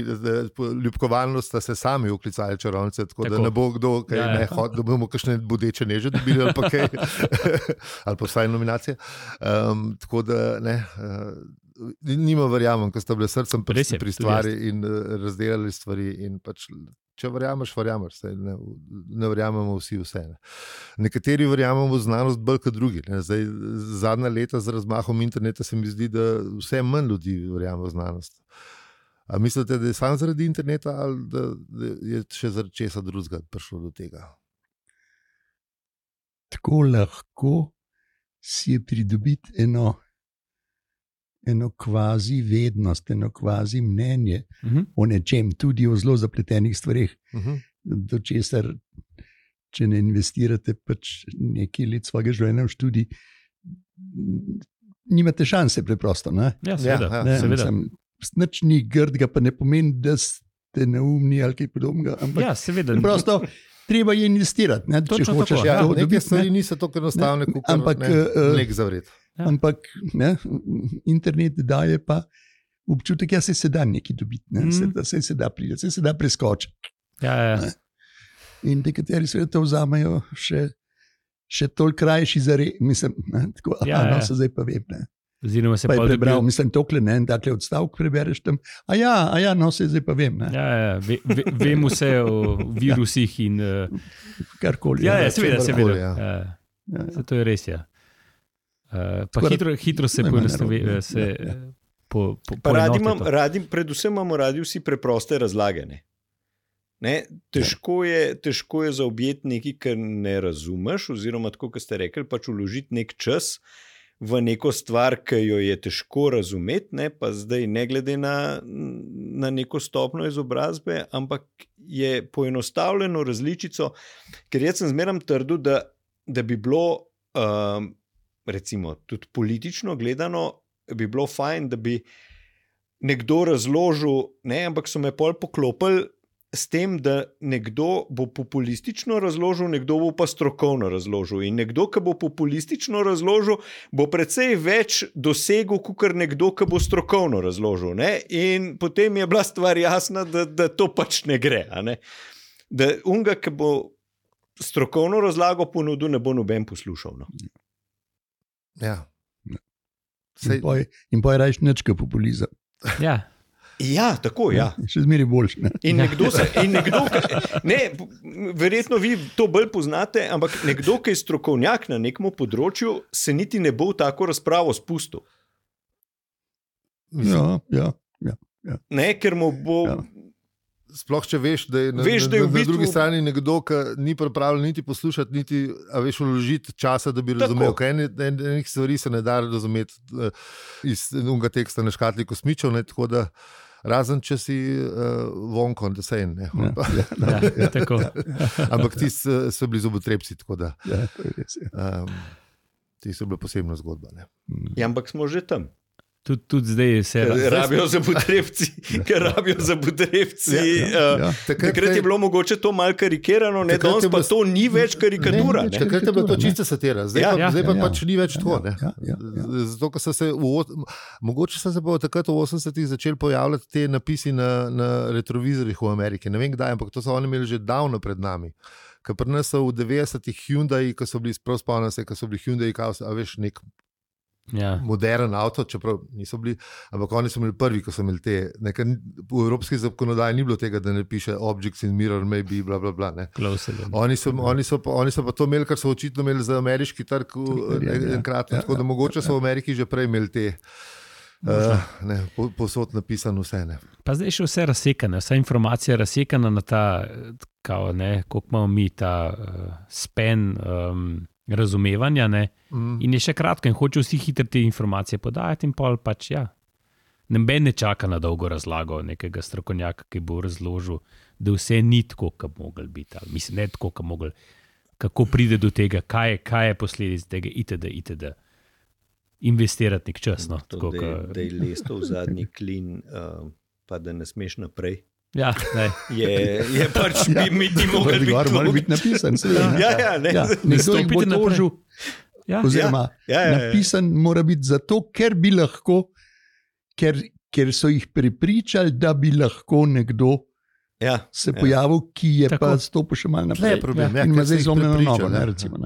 [SPEAKER 1] ljubkovalnost sta se sami uklicali čarovnice, tako da ne bo kdo, da bomo kakšne bodeče neže dobili ali pa kaj, ali pa vsaj nominacije. Tako da ne, nima verjamem, ko sta bile srcem pri stvari in razdelali stvari in pač če verjameš, ne verjamemo vsi vse. Nekateri verjamemo v znanost bolj kot drugi. Zdaj, zadnja leta z razmahom interneta se mi zdi, da vse manj ljudi verjame v znanost. A mislite, da je samo zaradi interneta ali da je še zaradi česa drugega prišlo do tega?
[SPEAKER 3] Tako lahko si je pridobiti eno kvazi vednost, eno kvazi mnenje o nečem, tudi o zelo zapletenih stvareh, do česar, če ne investirate pač nekaj let svojega življenja v študij, nimate šanse preprosto.
[SPEAKER 5] Seveda.
[SPEAKER 3] Nič ni grdega, pa ne pomeni, da ste neumni ali kaj podobnega, ampak
[SPEAKER 5] seveda.
[SPEAKER 3] Preprosto treba je investirati. Če hočeš
[SPEAKER 1] neke stvari niso tako enostavne, kot nek zavret.
[SPEAKER 3] Ampak internet daje pa občutek, da se da nekaj dobiti, se da priti, se da preskočiti. In nekateri se to vzamejo še toliko krajši za mislim, tako, se zdaj pa vem.
[SPEAKER 5] Oziroma se
[SPEAKER 3] pa je prebral, mislim, tokle, takle odstavek prebereš tam, se zdaj pa vem.
[SPEAKER 5] Vem vse o virusih in
[SPEAKER 3] karkoli.
[SPEAKER 5] Seveda. To je res, pa hitro se poenostavi.
[SPEAKER 2] Predvsem imamo radi vsi preproste razlage. Težko je zaobjeti nekaj, kar ne razumeš, oziroma tako, kot ste rekli, pač vložiti nek čas v neko stvar, ki jo je težko razumeti, pa zdaj ne glede na neko stopno izobrazbe, ampak je poenostavljeno različico, ker jaz sem zmeraj trdil, da bi bilo recimo tudi politično gledano, bi bilo fajn, da bi nekdo razložil, ampak so me pol poklopili s tem, da nekdo bo populistično razložil, nekdo bo pa strokovno razložil. In nekdo, ki bo populistično razložil, bo precej več dosegel, kot nekdo, ki bo strokovno razložil. In potem je bila stvar jasna, da to pač ne gre. Da unga, ki bo strokovno razlago ponudil, ne bo noben poslušal.
[SPEAKER 3] In pa je rajš nečka populizem.
[SPEAKER 2] Tako.
[SPEAKER 3] Še zmeraj boljši.
[SPEAKER 2] In nekdo, verjetno vi to bolj poznate, ampak nekdo, ki je strokovnjak na nekem področju, se niti ne bo v tako razpravo spustil.
[SPEAKER 3] Ja.
[SPEAKER 2] Ker mu bo
[SPEAKER 1] sploh če veš, da je na drugi strani nekdo, ki ni pripravljen niti poslušati, niti vložiti časa, da bi razumel. Enih stvari se ne da razumeti iz unga teksta na škatli kosmičev, tako da razen če si vonko, da se en. Ampak ti so bili zobotrebci, tako da ti so bili posebna zgodba. Ne?
[SPEAKER 2] Ja, ampak smo že tam.
[SPEAKER 5] Tudi zdaj se
[SPEAKER 2] rabijo za potrebci. Takrat je bilo mogoče to malo karikirano, danes pa to ni več karikatura.
[SPEAKER 1] Takrat je bilo to čista satira, zdaj pa pač ni več tako. Zato, ker so se mogoče so se pa takrat v 80-ih začeli pojavljati te napisi na retrovizorjih v Ameriki. Ne vem kdaj, ampak to so oni imeli že davno pred nami. Ker pri nas so v 90-ih Hyundai, ko so bili prav spomnim se, ko so bili Hyundai, a veš, nek modern avto, čeprav niso bili, ampak oni so imeli prvi, ko so imeli te, v evropski zakonodaji ni bilo tega, da ne piše objects in mirror may be, bla, bla, bla, ne. Oni so pa to imeli, kar so očitno imeli za ameriški trg enkratno, tako da mogoče so v Ameriki že prej imeli te posod napisano vse. Ne.
[SPEAKER 5] Pa zdaj še vse razsekane, vsa informacija razsekana na ta, koliko imamo mi ta span razumevanja, ne? In je še kratko in hoče vsi hitro te informacije podajati in pol pač noben ne čaka na dolgo razlago nekega strokovnjaka, ki bo razložil, da vse ni tako, kot bi mogli biti. Mislim, ne tako, kot mogli. Kako pride do tega, kaj je posledic tega itd. Investirati nek čas. No,
[SPEAKER 2] tako, da je lesto v zadnji klin, pa da ne smeš naprej.
[SPEAKER 5] Ja,
[SPEAKER 2] je pač mi ti mogli
[SPEAKER 3] biti napisan.
[SPEAKER 5] Ne stopite na pržu.
[SPEAKER 3] Oziroma, napisan mora biti zato, ker bi lahko, ker so jih prepričali, da bi lahko nekdo se pojavil, ki je pa stopil še malo naprej. In ima zdaj zlomljeno nogo.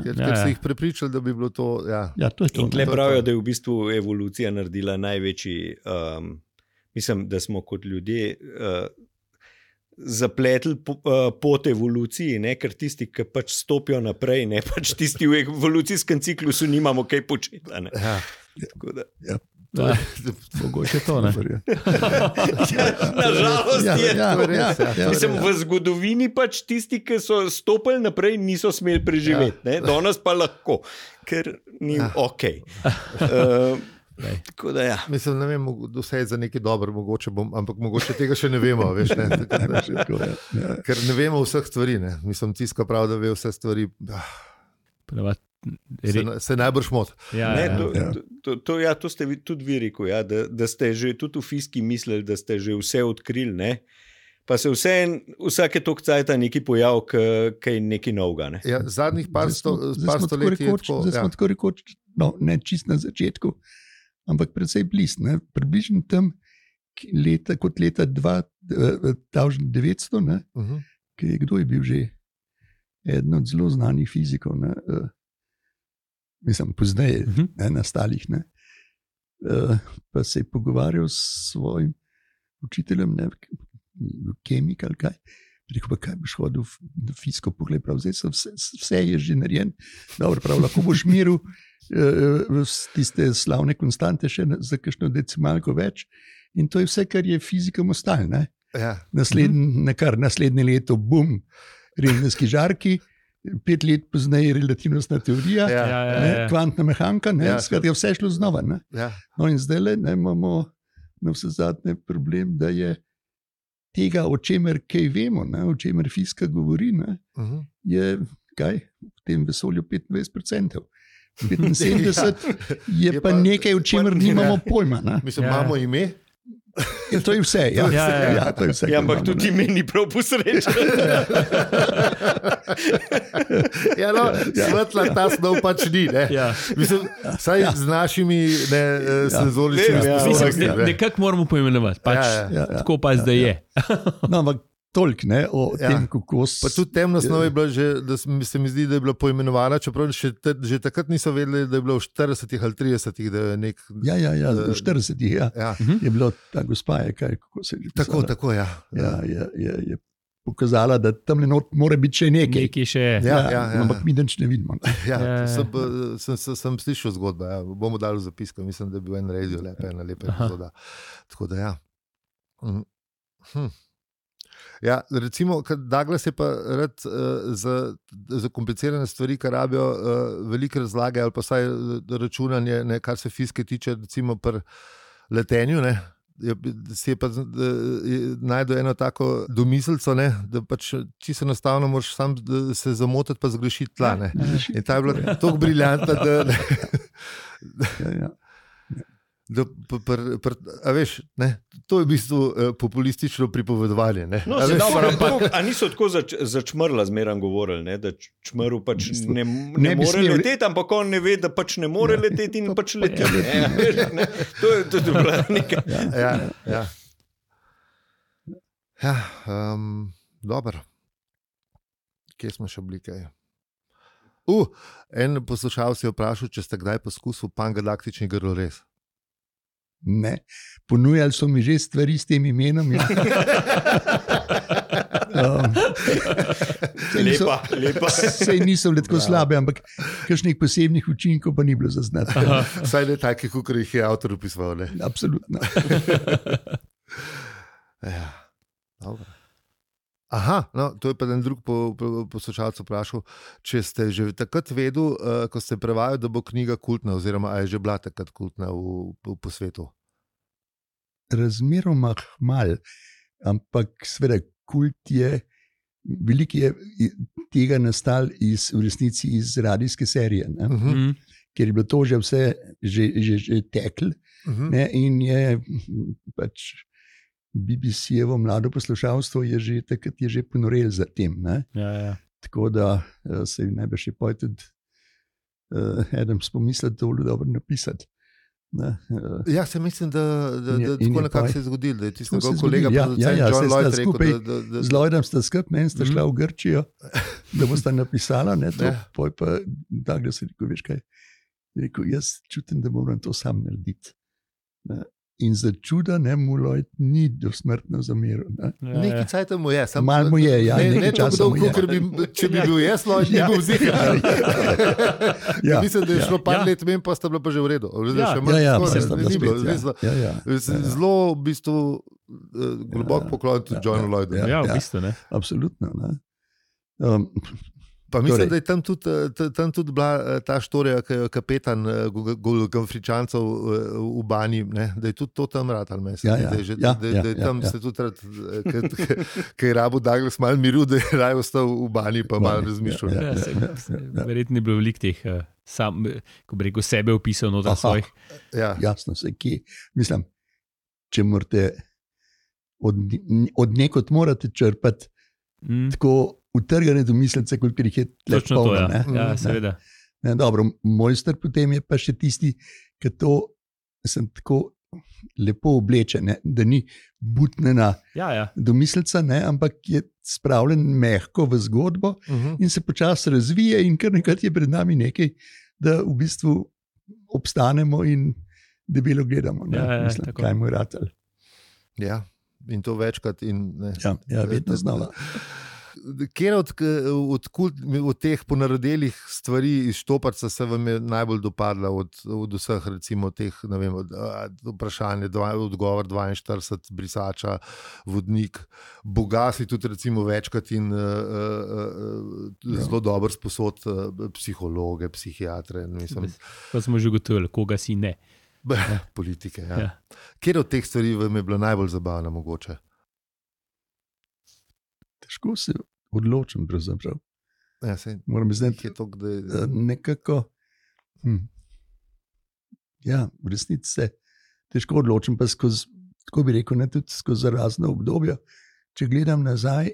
[SPEAKER 1] Ker so jih prepričali, da bi bilo to.
[SPEAKER 3] To je to.
[SPEAKER 2] In tle pravijo, da je v bistvu evolucija naredila največji, mislim, da smo kot ljudje zapletli pot evoluciji, ker tisti, ki pač stopijo naprej, pač tisti v evolucijskem ciklusu nimamo kaj početi. Tako da.
[SPEAKER 5] Mogoče to, ne?
[SPEAKER 2] Nažalost je to res. Mislim, v zgodovini pač tisti, ki so stopili naprej, niso smeli preživeti. Danes pa lahko, ker ni okej. Tako da
[SPEAKER 1] Mislim, ne vem, vse je za nekaj dobro, ampak mogoče tega še ne vemo, veš, ker ne vemo vseh stvari, ne. Mislim, tiska prav, da ve vse stvari, se najbrž mot.
[SPEAKER 2] To ste tudi vi rekel, da ste že tudi v fiziki mislili, da ste že vse odkrili, ne. Pa se vsake toliko cajta nekaj pojav, kaj nekaj novega, ne.
[SPEAKER 1] Zadnjih par stoletij je tako.
[SPEAKER 3] Zdaj smo tako rekoč, ne čist na začetku, ampak predvsej blizu, približno tam kot leta 2900, kdo je bil že eden od zelo znanih fizikov, mislim, pozneje nastalih, pa se je pogovarjal s svojim učiteljem, kemik ali kaj. Rekel pa, kaj boš hodil v fiziko pogled, prav zdaj vse je že narejen, dobro, prav lahko boš miril tiste slavne konstante še za kakšno decimalko več in to je vse, kar je fizikom ostalo. Naslednje leto, bum, rengenski žarki, 5 let pozneje relativnostna teorija, kvantna mehanika, skratka, vse šlo znova. No in zdaj imamo na vse zadnje problem, da je tega, o čemer kaj vemo, o čemer fizika govori, je kaj v tem vesolju 25%. 75 je pa nekaj, o čemer nimamo pojma.
[SPEAKER 1] Mislim, imamo ime?
[SPEAKER 3] To je vse. To je vse,
[SPEAKER 2] ampak tudi ime ni prav posrečen.
[SPEAKER 1] Svetla ta snov pač ni. Mislim, saj z našimi senzoričnimi
[SPEAKER 5] sposobnostmi. Nekako moramo poimenovati. Tako pa zdaj je.
[SPEAKER 3] No, ampak toliko o tem, kako
[SPEAKER 1] pa tudi temna snov je bila že, da se mi zdi, da je bila poimenovana, čeprav že takrat niso vedeli, da je bilo v 40 ali 30, da je nek...
[SPEAKER 3] v 40 je bilo ta gospa, kako se je že pisala.
[SPEAKER 1] Tako,
[SPEAKER 3] je pokazala, da tam mora biti še nekaj.
[SPEAKER 5] Nekaj še
[SPEAKER 3] je. Ampak mi nič ne vidimo.
[SPEAKER 1] Sem slišal zgodbo, bomo dali v zapisko, mislim, da je bil en radio ena lepa epizoda. Tako da Ja, recimo, Douglas je pa rad za komplicirane stvari, ki rabijo velike razlage ali pa vsaj računanje, ne, kar se fizike tiče, recimo pri letenju, ne. Si je pa najdel eno tako domiselco, ne, da pač čisto enostavno moraš sam se zamotiti pa zgrešiti tla. Ne. In ta je bila tako briljantna, a veš, ne, to je v bistvu populistično pripovedovanje. Ne.
[SPEAKER 2] No, a niso tako začmrla zmeram govorili, ne, da čmrl pač ne more leteti, ampak on ne ve, da pač ne more leteti in pač leti. To je bila nekaj.
[SPEAKER 1] Dobro. Kje smo še bili kaj? En poslušalec je vprašal, če ste kdaj poskusil pangalaktični grlorez.
[SPEAKER 3] Ne, ponujali so mi že stvari s tem imenom. Ja.
[SPEAKER 2] Lepa.
[SPEAKER 3] Sej niso bile tako slabe, ampak kakšnih posebnih učinkov pa ni bilo zaznati.
[SPEAKER 1] Saj ne takih, kot jih je avtor opisoval.
[SPEAKER 3] Absolutno.
[SPEAKER 1] Ja, dobro. Aha, no, to je pa en drug poslušalec vprašal, če ste že takrat vedeli, ko ste prevajali, da bo knjiga kultna, oziroma a je že bila takrat kultna po svetu?
[SPEAKER 3] Razmeroma malo, ampak seveda kult je, veliko je tega nastal v resnici iz radijske serije, ker je bilo to že vse že teklo, in je pač BBC-jevo mlado poslušalstvo je že takrat ponorel za tem.
[SPEAKER 5] Ja.
[SPEAKER 3] Tako da se je najbrž tudi eden spomislil, da je bilo dobro napisati.
[SPEAKER 1] Ja, se mislim, da tako nekako se je zgodilo, da je tisti njegov kolega producent John Lloyd rekel,
[SPEAKER 3] z Lloydom sta skupaj, in sta šla v Grčijo, da bosta napisala, poj pa Douglas je rekel, veš kaj, rekel, jaz čutim, da moram to sam narediti. In za čuda mu Lloyd ni dosmrtno zameril.
[SPEAKER 1] Nekaj cajta mu je.
[SPEAKER 3] Malo mu je, ja.
[SPEAKER 1] Ne tako dolgo, ker če bi bil jaz, Lloyd ni bil zihar. Mislim, da je šlo par let men, pa sta bila pa že v redu. Zelo v bistvu globok poklon tudi Johnu Lloydu.
[SPEAKER 5] Ja, v bistvu ne.
[SPEAKER 3] Absolutno.
[SPEAKER 1] Pa mislim, da je tam tudi bila ta štorija, ki je kapetan Gamfričancev v Bani, ne? Da je tudi to tam rad, ali mislim, da je tam se tudi rad, ki je rabo Douglas malo miru, da je raje ostal v Bani, pa malo razmišljal.
[SPEAKER 5] Verjetno je bilo veliko teh, ko bi rekel, sebe opisal noter svojih.
[SPEAKER 3] Jasno, se kje. Mislim, če morate od nekod morate črpati tako utrgane domislice, koliko jih je
[SPEAKER 5] točno polno. Ja, seveda.
[SPEAKER 3] Dobro, mojster potem je pa še tisti, ki to sem tako lepo oblečen, da ni butnena domislica, ampak je spravljen mehko v zgodbo in se počasi razvije in kar nekrat je pred nami nekaj, da v bistvu obstanemo in debelo gledamo. Mislim, kaj mu je ratal.
[SPEAKER 1] Ja, in to večkrat.
[SPEAKER 3] Ja, vedno znala.
[SPEAKER 1] Kjer od teh ponarodelih stvari iz Štoparca se vam je najbolj dopadla od vseh, recimo teh, ne vem, vprašanje, odgovor 42, brisača, vodnik, Boga si tudi recimo večkrat in zelo dober sposod psihologe, psihiatre.
[SPEAKER 5] Pa smo že gotovili, koga si ne.
[SPEAKER 1] Politike, ja. Kjer od teh stvari vam je bila najbolj zabavna mogoče?
[SPEAKER 3] Težko se odločim, pravzaprav.
[SPEAKER 1] Moram znati, da je
[SPEAKER 3] nekako. Ja, v resnici se težko odločim, pa skozi, tako bi rekel, ne tudi skozi razne obdobja. Če gledam nazaj,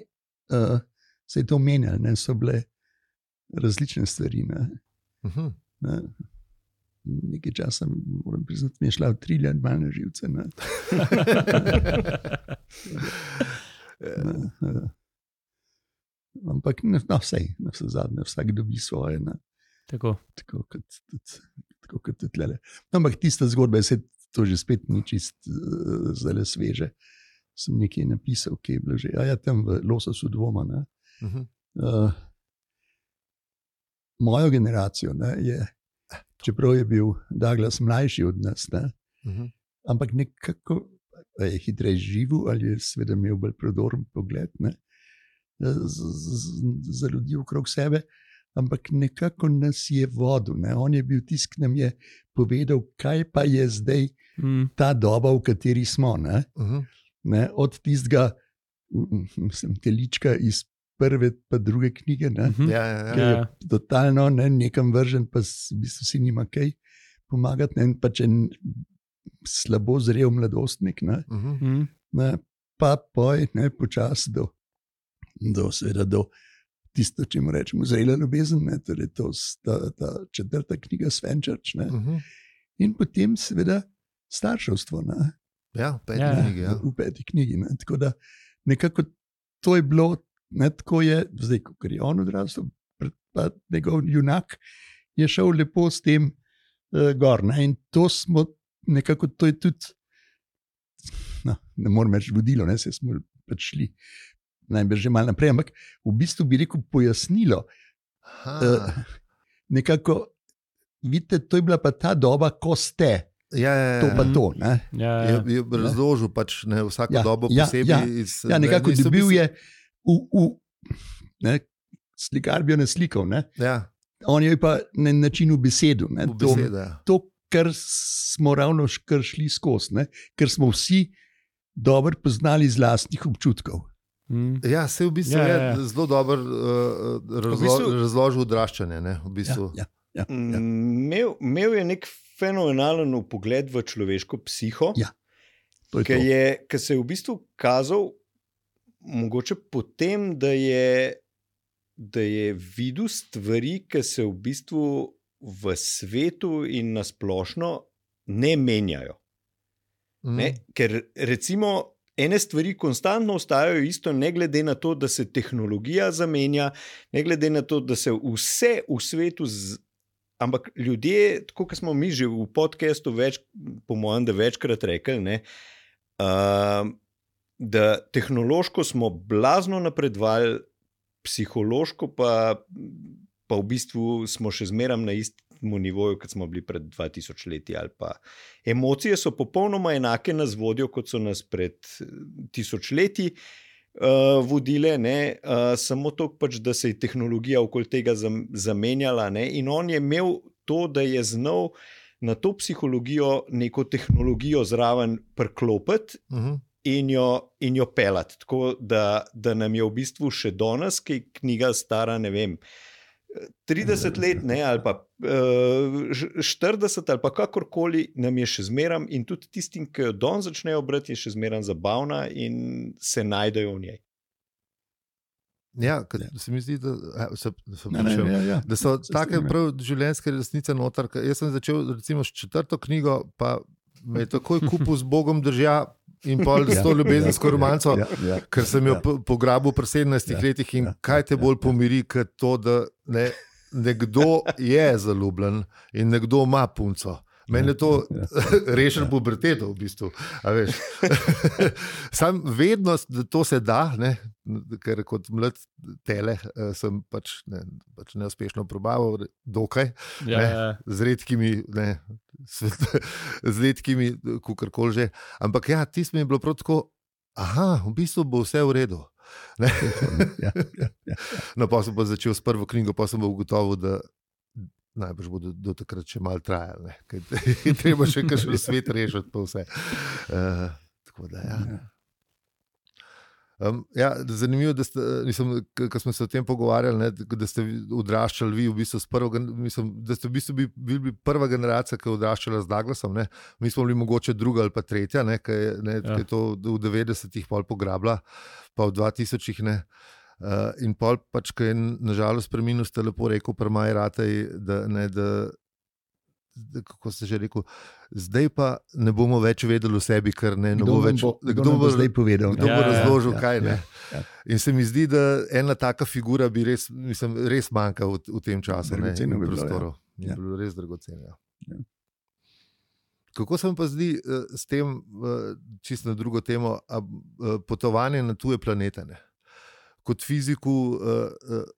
[SPEAKER 3] se je to menjalo, so bile različne stvari. Nekaj časa, moram priznati, mi je šla v triljan malo na živce. Ampak vsej, na vse zadnje, vsak dobi svoje.
[SPEAKER 5] Tako
[SPEAKER 3] kot tudi tlele. Ampak tista zgodba, to že spet ni čist zelo sveže. Sem nekaj napisal, ki je bilo že, tam v Lososu dvoma. Mojo generacijo je, čeprav je bil Douglas mlajši od nas, ampak nekako je hitreje živel ali je seveda imel bolj prodoren pogled, ne, za ljudi okrog sebe, ampak nekako nas je vodil. Ne. On je bil tisti, ki nam je povedal, kaj pa je zdaj ta doba, v kateri smo. Ne. Ne, od tistega telička iz prve pa druge knjige, ki je totalno nekam vržen, pa v bistvu si nima kaj pomagati, ne, pa če slabo zrel mladostnik, ne, pa poj, počasi do tisto, če mu rečemo, zrela ljubezen, ne, torej ta 4. knjiga Svenčarč, ne, in potem seveda starševstvo, ne.
[SPEAKER 1] Ja, v 5. knjigi. Ja.
[SPEAKER 3] V 5. knjigi, ne, tako da nekako to je bilo, ne, tako je, zdaj, ko je on odrastel, pa njegov junak je šel lepo s tem gor, ne, in to smo nekako, to je tudi, no, ne morem reči vodilo, ne, se smo pač šli najbrž že malo naprej, ampak v bistvu bi rekel pojasnilo. Nekako, vidite, to je bila pa ta doba, ko ste. To pa to.
[SPEAKER 1] Je razložil pač vsako dobo posebej.
[SPEAKER 3] Nekako dobil je slikar bi jo naslikal. On je pa na načinu besedu. To, kar smo ravno šli skozi, ker smo vsi dobro poznali iz lastnih občutkov.
[SPEAKER 1] Ja, se v bistvu je zelo dobro razložil odraščanje. V bistvu.
[SPEAKER 2] Imel je nek fenomenalen pogled v človeško psiho, ki se je v bistvu kazal mogoče potem, da je videl stvari, ki se v bistvu v svetu in na splošno ne menjajo. Ker recimo ene stvari konstantno ostajajo isto, ne glede na to, da se tehnologija zamenja, ne glede na to, da se vse v svetu ampak ljudje, tako kot smo mi že v podcastu po mojem, da večkrat rekli, da tehnološko smo blazno napredovali, psihološko pa v bistvu smo še zmeraj na istem nivoju, kot smo bili pred 2000 leti. Ali pa emocije so popolnoma enake nas vodijo, kot so nas pred 1000 leti vodile, samo to pač, da se je tehnologija okoli tega zamenjala, in on je imel to, da je znal na to psihologijo neko tehnologijo zraven priklopiti in jo pelati, tako da nam je v bistvu še danes, ki je knjiga stara, ne vem, 30 let, ali pa 40 ali pa kakorkoli, nam je še zmeram, in tudi tistim, ki jo danes začnejo brati, je še zmeram zabavna in se najdejo v njej.
[SPEAKER 1] Ja, se mi zdi, da so take prav življenjske resnice noter. Jaz sem začel recimo s 4. knjigo, pa me je takoj kupil z Bogom držja in pol s to ljubezensko romanco, ker sem jo pograbil pri 17 letih, in kaj te bolj pomiri, kot to, da nekdo je zaljubljen in nekdo ima punco. Meni je to rešen puberteto v bistvu. Sam vednost, da to se da, ker kot mlad tele sem pač neuspešno probaval, dokaj, z redkimi, kakorkoli že. Ampak ja, tisto mi je bilo prav tako, v bistvu bo vse v redu. No, pa sem pa začel s prvo knjigo, pa sem pa ugotovil, da najbrž bo do takrat še malo trajalo. Treba še kakšen svet rešiti, pa vse. Tako da, zanimivo, da ko smo se o tem pogovarjali, da ste odraščali vi v bistvu s prvo, da ste v bistvu bili prva generacija, ki je odraščala z Douglasom. Mi smo bili mogoče druga ali pa tretja, ki je to v 90-ih pol pograbila, pa v 2000-ih . In pol pač, ki je nažalost preminil, ste lepo rekel, premaj rataj, da kako ste že rekel, zdaj pa ne bomo več vedeli o sebi, ker ne bo več,
[SPEAKER 3] kdo bo zdaj povedal.
[SPEAKER 1] Kdo bo razložil, kaj ne. In se mi zdi, da ena taka figura bi res manjka v tem času, v prostoru. Je bilo res dragoceno. Kako se mi pa zdi s tem, čisto na drugo temo, potovanje na tuje planete, Kot fiziku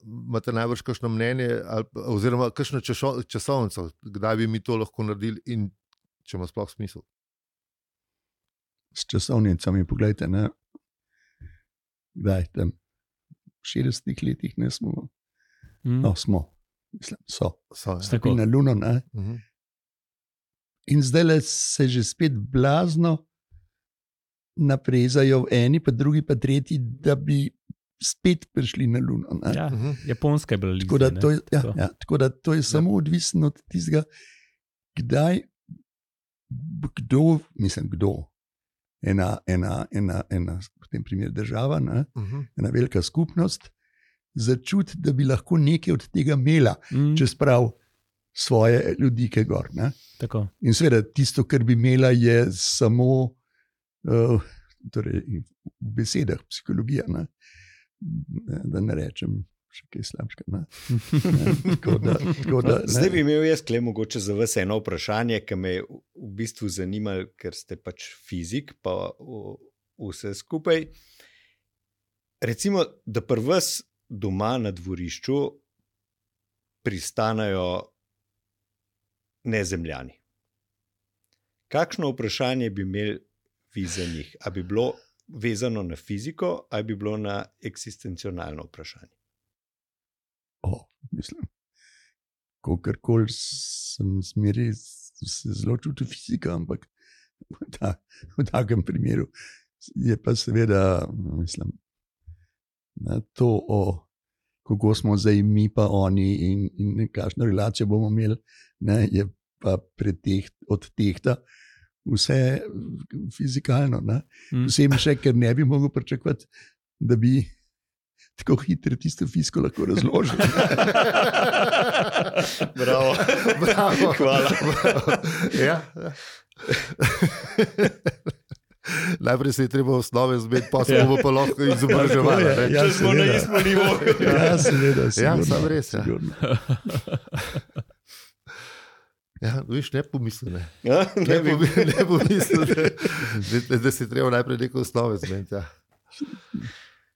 [SPEAKER 1] imate najbrž kakšno mnenje oziroma kakšno časovnico, kdaj bi mi to lahko naredili in če ima sploh smisel?
[SPEAKER 3] s časovnicami, poglejte, ne, kdaj tam v 60 letih ne smo, smo, mislim, so
[SPEAKER 5] Tako.
[SPEAKER 3] na Luno, ne. In zdaj se že spet blazno naprezajo eni, pa drugi, pa tretji, da bi spet prišli na Luno. Ne.
[SPEAKER 5] Ja, Japonska je bila
[SPEAKER 3] Tako da
[SPEAKER 5] lista,
[SPEAKER 3] to
[SPEAKER 5] ne.
[SPEAKER 3] je, tako da to je samo odvisno od tistega, kdaj, kdo, ena v tem primeru država, ne, ena velika skupnost, začuti, da bi lahko nekaj od tega imela, če sprav svoje ljudi, ki je gor. Ne.
[SPEAKER 5] Tako.
[SPEAKER 3] In seveda tisto, kar bi imela, je samo torej, v besedah, psihologija, ne. Da ne rečem še kaj slabšega.
[SPEAKER 2] Zdaj bi imel jaz kle mogoče za vas eno vprašanje, ki me je v bistvu zanimalo, ker ste pač fizik, pa vse skupaj. Recimo, da pri vas doma na dvorišču pristanajo nezemljani. Kakšno vprašanje bi imeli vi za njih? A bi bilo vezano na fiziko, ali bi bilo na eksistencionalno vprašanje?
[SPEAKER 3] Mislim, kogarkoli sem zmeri, se zelo čutil fizika, ampak v takem primeru je pa seveda, mislim, to kako smo zdaj mi pa oni in kakšno relacijo bomo imeli, ne, je pa odtehta vse fizikalno. Vsem še, ker ne bi mogel pričakovati, da bi tako hitro tisto fiziko lahko razložil.
[SPEAKER 2] Bravo. Hvala.
[SPEAKER 1] Ja. Najprej se je treba osnove zbeti, pa se bomo pa lahko izobraževali.
[SPEAKER 2] Če smo na istem nivoju.
[SPEAKER 3] Ja, seveda.
[SPEAKER 1] Ja, sam res. Ja. Ja, viš, ne pomisli. Ne pomisli, da si treba najprej neko osnove zbeti. Ja.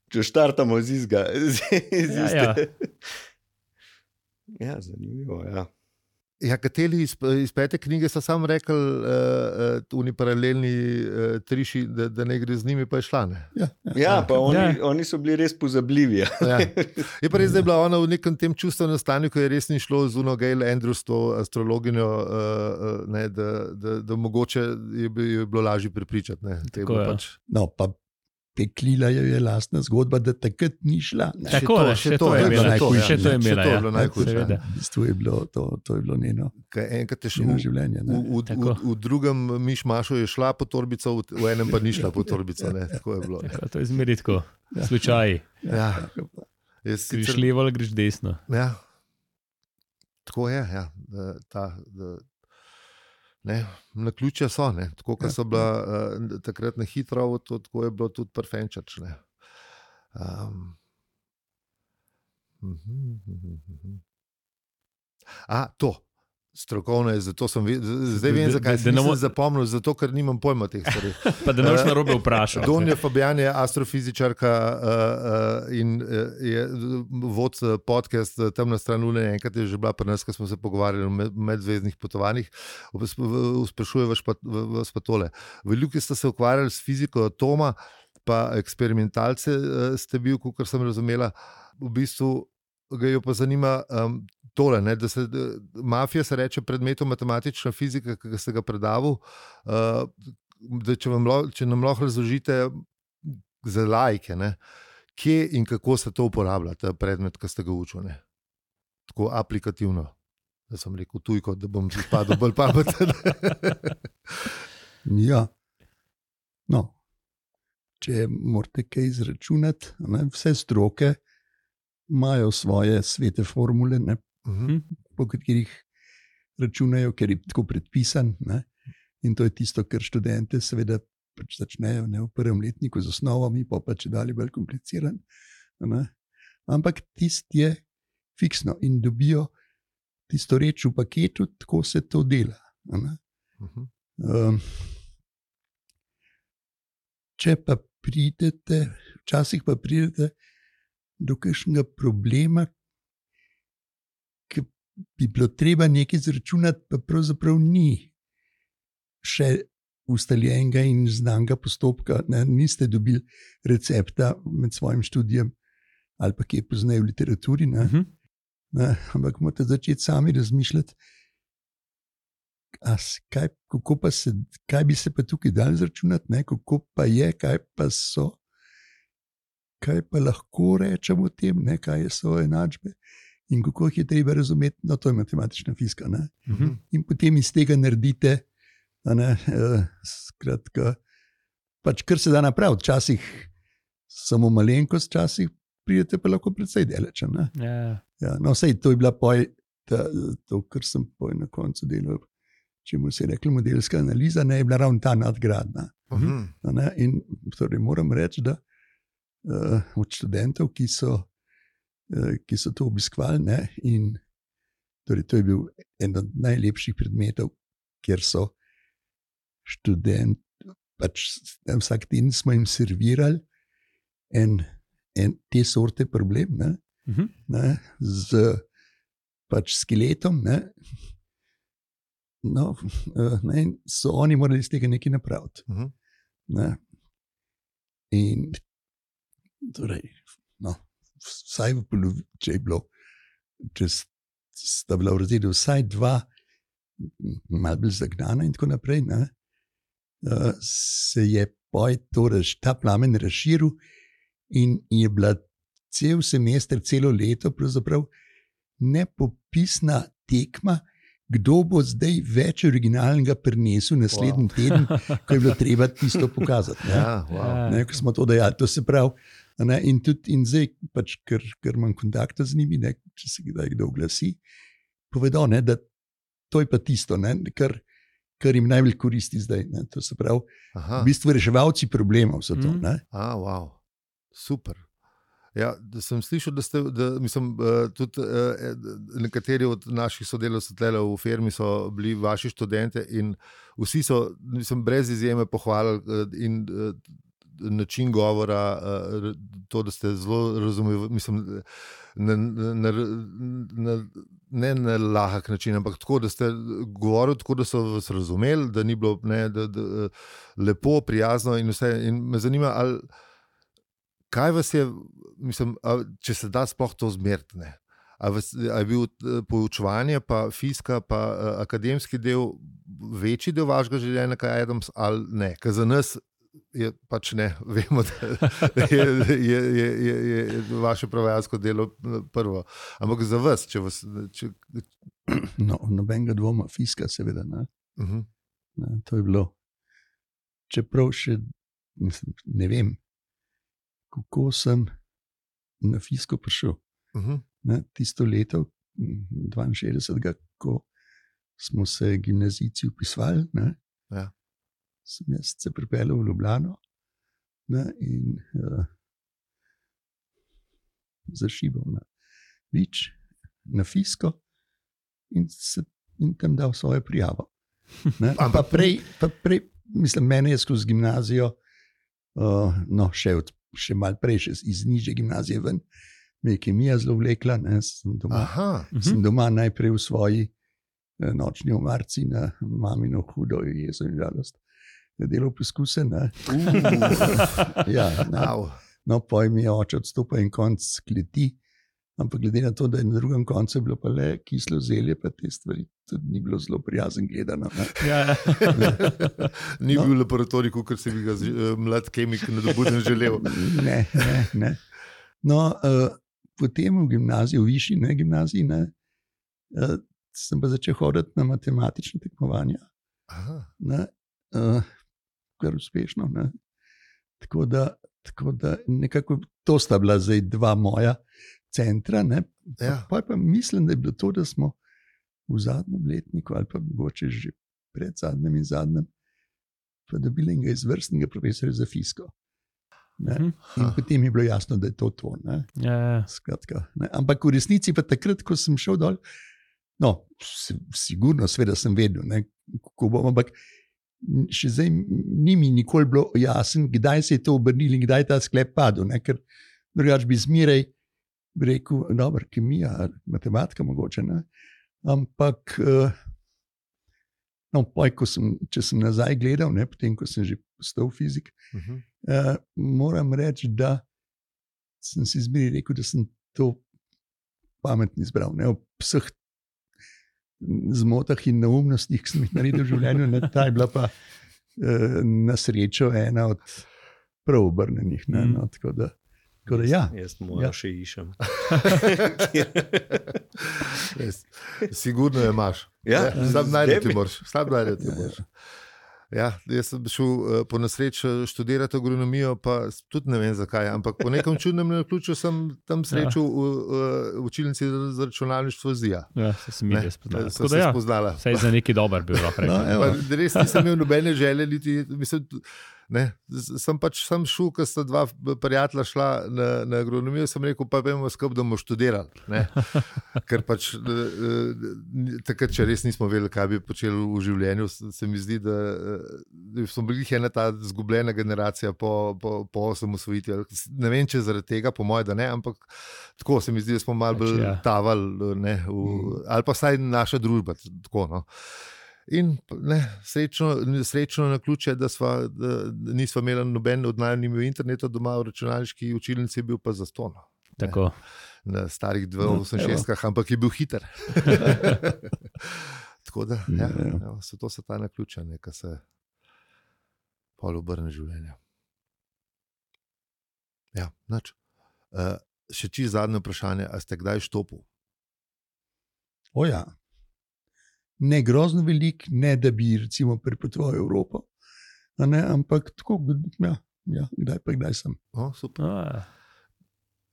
[SPEAKER 2] Če štartamo z izga. Ja, zanimivo, ja.
[SPEAKER 1] Ja, kateri iz 5. knjige so sam rekli, oni paralelni triši, da ne gre z njimi, pa je šla.
[SPEAKER 2] Ja, pa oni so bili res pozabljivi.
[SPEAKER 1] Ja. Je pa res, da je bila ona v nekem tem čustvenem stanju, ko je res ni šlo z Uno Gail Andrews, to astrologinjo, da mogoče je bilo lažje prepričati.
[SPEAKER 5] Tako je.
[SPEAKER 3] No, pa peklila je lastna zgodba, da takrat ni šla.
[SPEAKER 5] Tako je, še to je imela.
[SPEAKER 1] Najhujše.
[SPEAKER 3] V bistvu je bilo to je bilo njeno življenje.
[SPEAKER 1] V drugem mišmašu je šla po torbico, v enem pa ni šla po torbico. Tako je bilo.
[SPEAKER 5] To je zmeri tako. Slučaj.
[SPEAKER 1] Ja.
[SPEAKER 5] Greš levo ali greš desno.
[SPEAKER 1] Ja. Tako je, ja. Naključja so, tako kot so bila takrat na hitro, tako je bilo tudi prfenčač. To. Strokovno je, zato sem zdaj vem, zakaj sem zapomnil, zato ker nimam pojma teh stvari.
[SPEAKER 5] Pa da ne boš narobe vprašal.
[SPEAKER 1] Donja Fabijan je astrofizičarka in je vod podcast Temna stran Lune, enkrat je že bila pri nas, ko smo se pogovarjali o medzvezdnih potovanjih. Sprašuje vas pa tole. Veliki ste se ukvarjali s fiziko atoma, pa eksperimentalce ste bil, kot sem razumela, v bistvu ga jo pa zanima tole, da se mafija se reče predmetu matematična fizika, ki ste ga predaval, da če nam lahko razložite za laike, kje in kako se to uporablja, ta predmet, ki ste ga učili. Tako aplikativno. Da sem rekel tujko, da bom izpadel bolj pameten.
[SPEAKER 3] Ja. No, če morate kaj izračunati, vse stroke imajo svoje svete formule, po katerih računajo, ker je tako predpisan. In to je tisto, kar študente seveda začnejo v prvem letniku z osnovami, pa če dalje bolj kompliciran. Ampak tisto je fiksno in dobijo tisto reč v paketu, tako se to dela. Če pa pridete, včasih pa pridete do kakšnega problema, ki bi bilo treba nekaj izračunati, pa pravzaprav ni še ustaljenega in znanega postopka, ne, niste dobili recepta med svojim študijem ali pa kje poznajo v literaturi, ne, ampak morate začeti sami razmišljati, kaj bi se pa tukaj dal izračunati, ne, kako pa je, kaj pa so, kaj pa lahko rečemo o tem, ne, kaj so enačbe in kako jih je treba razumeti, no to je matematična fizika. Ne. In potem iz tega naredite, ne, skratka, pač kar se da napraviti, včasih samo malenkost, včasih pridete pa lahko precej daleč. Ja, no, sej, to je bila to, kar sem na koncu delal, čemu se je rekla modelska analiza, ne, je bila ravno ta nadgradna. Ne, in torej moram reči, da od študentov, ki so to obiskovali, ne, in torej to je bil en od najlepših predmetov, kjer so študenti, pač vsak teden smo jim servirali en te sorte problem, ne, z pač skeletom, ne, no, ne, in so oni morali iz tega nekaj napraviti. Ne. In torej, no, vsaj v polovici, če je bilo, če sta bila v razredu vsaj dva, malo bolj zagnana in tako naprej, ne, se je ta plamen razširil in je bila cel semester, celo leto pravzaprav nepopisna tekma, kdo bo zdaj več originalnega prinesel naslednji teden, ko je bilo treba tisto pokazati. Ne?
[SPEAKER 1] Ja, wow.
[SPEAKER 3] Ne, ko smo to dejali, to se pravi. Ne, in zdaj, pač, ker imam kontakta z njimi, ne, če se kdo oglasi, povedo, ne, da to je pa tisto, ne, kar jim najbolj koristi zdaj. Ne, to se pravi, v bistvu reševalci problemov so to. Ne.
[SPEAKER 1] Wow. Super. Ja, da sem slišal, tudi nekateri od naših sodelavcev v firmi so bili vaši študente in vsi so, brez izjeme pohvalili in način govora, to, da ste zelo razumeli, ne na lahek način, ampak tako, da ste govorili tako, da so vas razumeli, da ni bilo lepo, prijazno in vse. In me zanima, kaj vas je, če se da sploh to zmeriti, ne? Ali je bil poučevanje, pa fizika, pa akademski del večji del vašega življenja, kaj Adams, ali ne? Ker za nas je pač ne, vemo, da je vaše prevajalsko delo prvo. Ampak za vas, če vas...
[SPEAKER 3] No, nobenega dvoma, fizika seveda, ne? Ne, to je bilo. Čeprav še, ne vem, kako sem na fiziko prišel. Ne, tisto leto, 62, ko smo se gimnazijci vpisvali, ne, sem jaz se pripeljal v Ljubljano, ne, in zašibal na Vič, na fiziko in tam dal svojo prijavo. Ne, pa prej, mene je skozi gimnazijo, no, še malo prej, še iz nižje gimnazije ven, me je kemija zelo vlekla, ne, sem doma najprej v svoji nočni omarci na mamino hudo jezo in žalost delal poskuse. Ja, no, potem mi je oče odstopil en konc kleti, ampak glede na to, da je na drugem koncu bilo pa le kislo zelje, pa te stvari tudi ni bilo zelo prijazen gledano.
[SPEAKER 1] Ni bil laboratorij, kot se bi ga mlad kemik nadobuden želel.
[SPEAKER 3] Ne. No, potem v gimnaziji, v višji gimnaziji, sem pa začel hoditi na matematične tekmovanja. Kar uspešno. Ne. Tako da nekako to sta bila zdaj dva moja centra. Ne. Pa mislim, da je bilo to, da smo v zadnjem letniku ali pa mogoče že pred zadnjem in zadnjem pa dobili enega izvrstnega profesorja za fiziko. In potem je bilo jasno, da je to. Skratka, ne. Ampak v resnici pa takrat, ko sem šel dol, no, sigurno, seveda sem vedel, ne, kako bom, ampak še zdaj ni mi nikoli bilo jasno, kdaj se je to obrnilo in kdaj je ta sklep padel, ne, ker drugače bi zmeraj rekel, dobro, kemija, matematika mogoče, ne, ampak No, če sem nazaj gledal, ne, potem ko sem že postal fizik, moram reči, da sem si zmeraj rekel, da sem to pametno izbral. Ne, ob vseh zmotah in neumnostih, ki sem jih naredil v življenju, ne, ta je bila pa na srečo ena od prav obrnenih. Ne, no, tako da ja.
[SPEAKER 2] Jaz moram še išem.
[SPEAKER 1] Sigurno je imaš.
[SPEAKER 2] Ja,
[SPEAKER 1] Sam najdete moraš. Ja, jaz sem šel po nesreči študirati agronomijo, pa tudi ne vem zakaj, ampak po nekem čudnem naključju sem tam srečal v učilnici za računalništvo ZIA.
[SPEAKER 5] Ja, se mi je spoznala.
[SPEAKER 1] So se spoznala.
[SPEAKER 5] Saj za neki dober bil lahko rekel.
[SPEAKER 1] Res nisem imel nobene želje, sem pač sam šel, ko sta dva prijatelja šla na agronomijo, sem rekel, pa vemo skup, da bomo študirali. Ne? Ker pač takrat, če res nismo vedeli, kaj bi počeli v življenju, se mi zdi, da smo bili ena ta zgubljena generacija po osamosvojitvi. Ne vem, če zaradi tega, po mojem, da ne, ampak tako se mi zdi, da smo malo bolj tavali, ali pa vsaj naša družba. Tako, no. In srečno na ključe, da nismo imeli noben od najmanjih interneta doma, v računalniški učilnici je bil pa zastonj.
[SPEAKER 5] Tako.
[SPEAKER 1] Na starih 286, ampak je bil hiter. Tako da, to so ta naključja, ki se pol obrne življenje. Ja, nič. Še čisto zadnje vprašanje, a ste kdaj štopil?
[SPEAKER 3] O ja. Ne grozno velik, ne da bi recimo prepotoval Evropo, ne, ampak tako, ja, kdaj sem.
[SPEAKER 1] Super.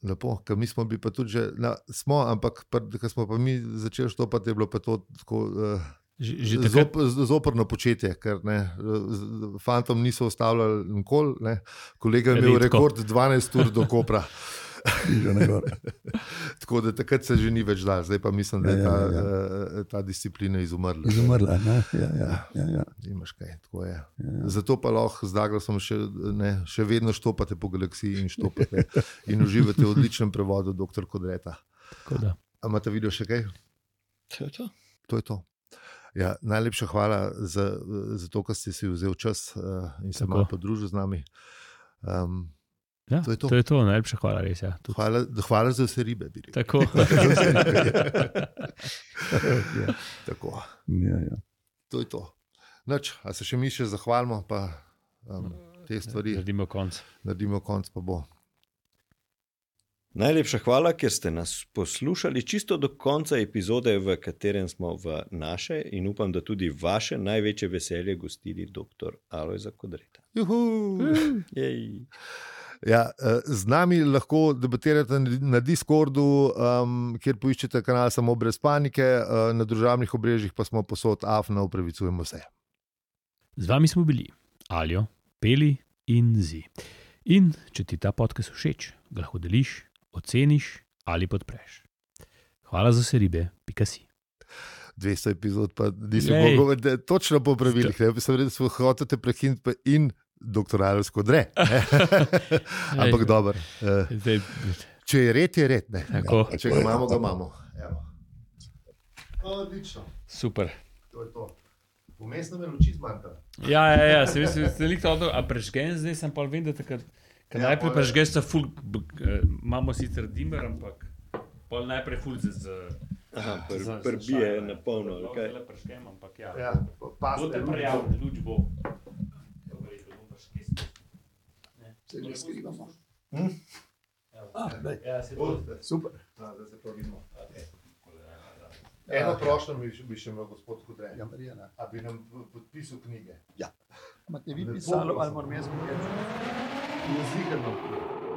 [SPEAKER 1] Lepo, ker mi smo bili pa tudi že, ampak ko smo pa mi začeli štopati, je bilo pa to tako zoprno početje, ker fantom niso ostavljali nikoli, kolega je imel rekord 12 ur do Kopra. Tako da takrat se že ni več dal, zdaj pa mislim, da je ta disciplina izumrla.
[SPEAKER 3] Izumrla, ne? Ja.
[SPEAKER 1] Imaš kaj, tako je. Zato pa lahko z Douglasom še vedno štopate po galaksiji in štopate in uživate v odličnem prevodu dr. Kodreta. A imate video še kaj? To je to. Ja, najlepša hvala za to, ker ste si vzel čas in se malo podružil z nami.
[SPEAKER 5] Ja, to je to, najlepša hvala, res. Ja,
[SPEAKER 1] hvala za vse ribe.
[SPEAKER 5] Tako.
[SPEAKER 1] Tako.
[SPEAKER 3] Ja.
[SPEAKER 1] To je to. Nač, a se še mi še zahvalimo, pa te stvari.
[SPEAKER 5] Naredimo konc,
[SPEAKER 1] pa bo.
[SPEAKER 2] Najlepša hvala, ker ste nas poslušali čisto do konca epizode, v katerem smo v naše in upam, da tudi vaše največje veselje gostili dr. Alojza Kodreta.
[SPEAKER 1] Jej. Ja, z nami lahko debatirate na Discordu, kjer poiščete kanal Samo brez panike, na družabnih obrežjih pa smo posod AFNA, upravičujemo se.
[SPEAKER 5] Z vami smo bili Aljo, Peli in Zi. In če ti ta podcast všeč, ga lahko deliš, oceniš ali podpreš. Hvala za vse ribe, _si.
[SPEAKER 1] 200 epizod pa nismo mogli točno po pravilih. Sem rekel, da smo hoteli prekiniti pa in dr. Alojz Kodre. Ampak dobro. Če je red, je red. Če ga imamo, ga imamo. Odlično.
[SPEAKER 5] Super.
[SPEAKER 1] To je to. Vmesno me luči zmanjka.
[SPEAKER 5] Ja, se veselim to, a prežgen zdaj sem pa vem, da takrat, najprej prežgen sta ful, imamo sicer dimmer, ampak pol najprej ful
[SPEAKER 2] prbije na polno.
[SPEAKER 5] Zelo prežgen, ampak ja.
[SPEAKER 1] Boste
[SPEAKER 5] prijavljeni, luč bo.
[SPEAKER 3] Se ne skrivamo.
[SPEAKER 1] Super. Da se pa vidimo. Eno prošnjo bi še imel gospod Kodre. A bi nam podpisal knjige?
[SPEAKER 3] Ja. Imate vi pisalo ali moram jaz povedati?
[SPEAKER 1] Jezikarno.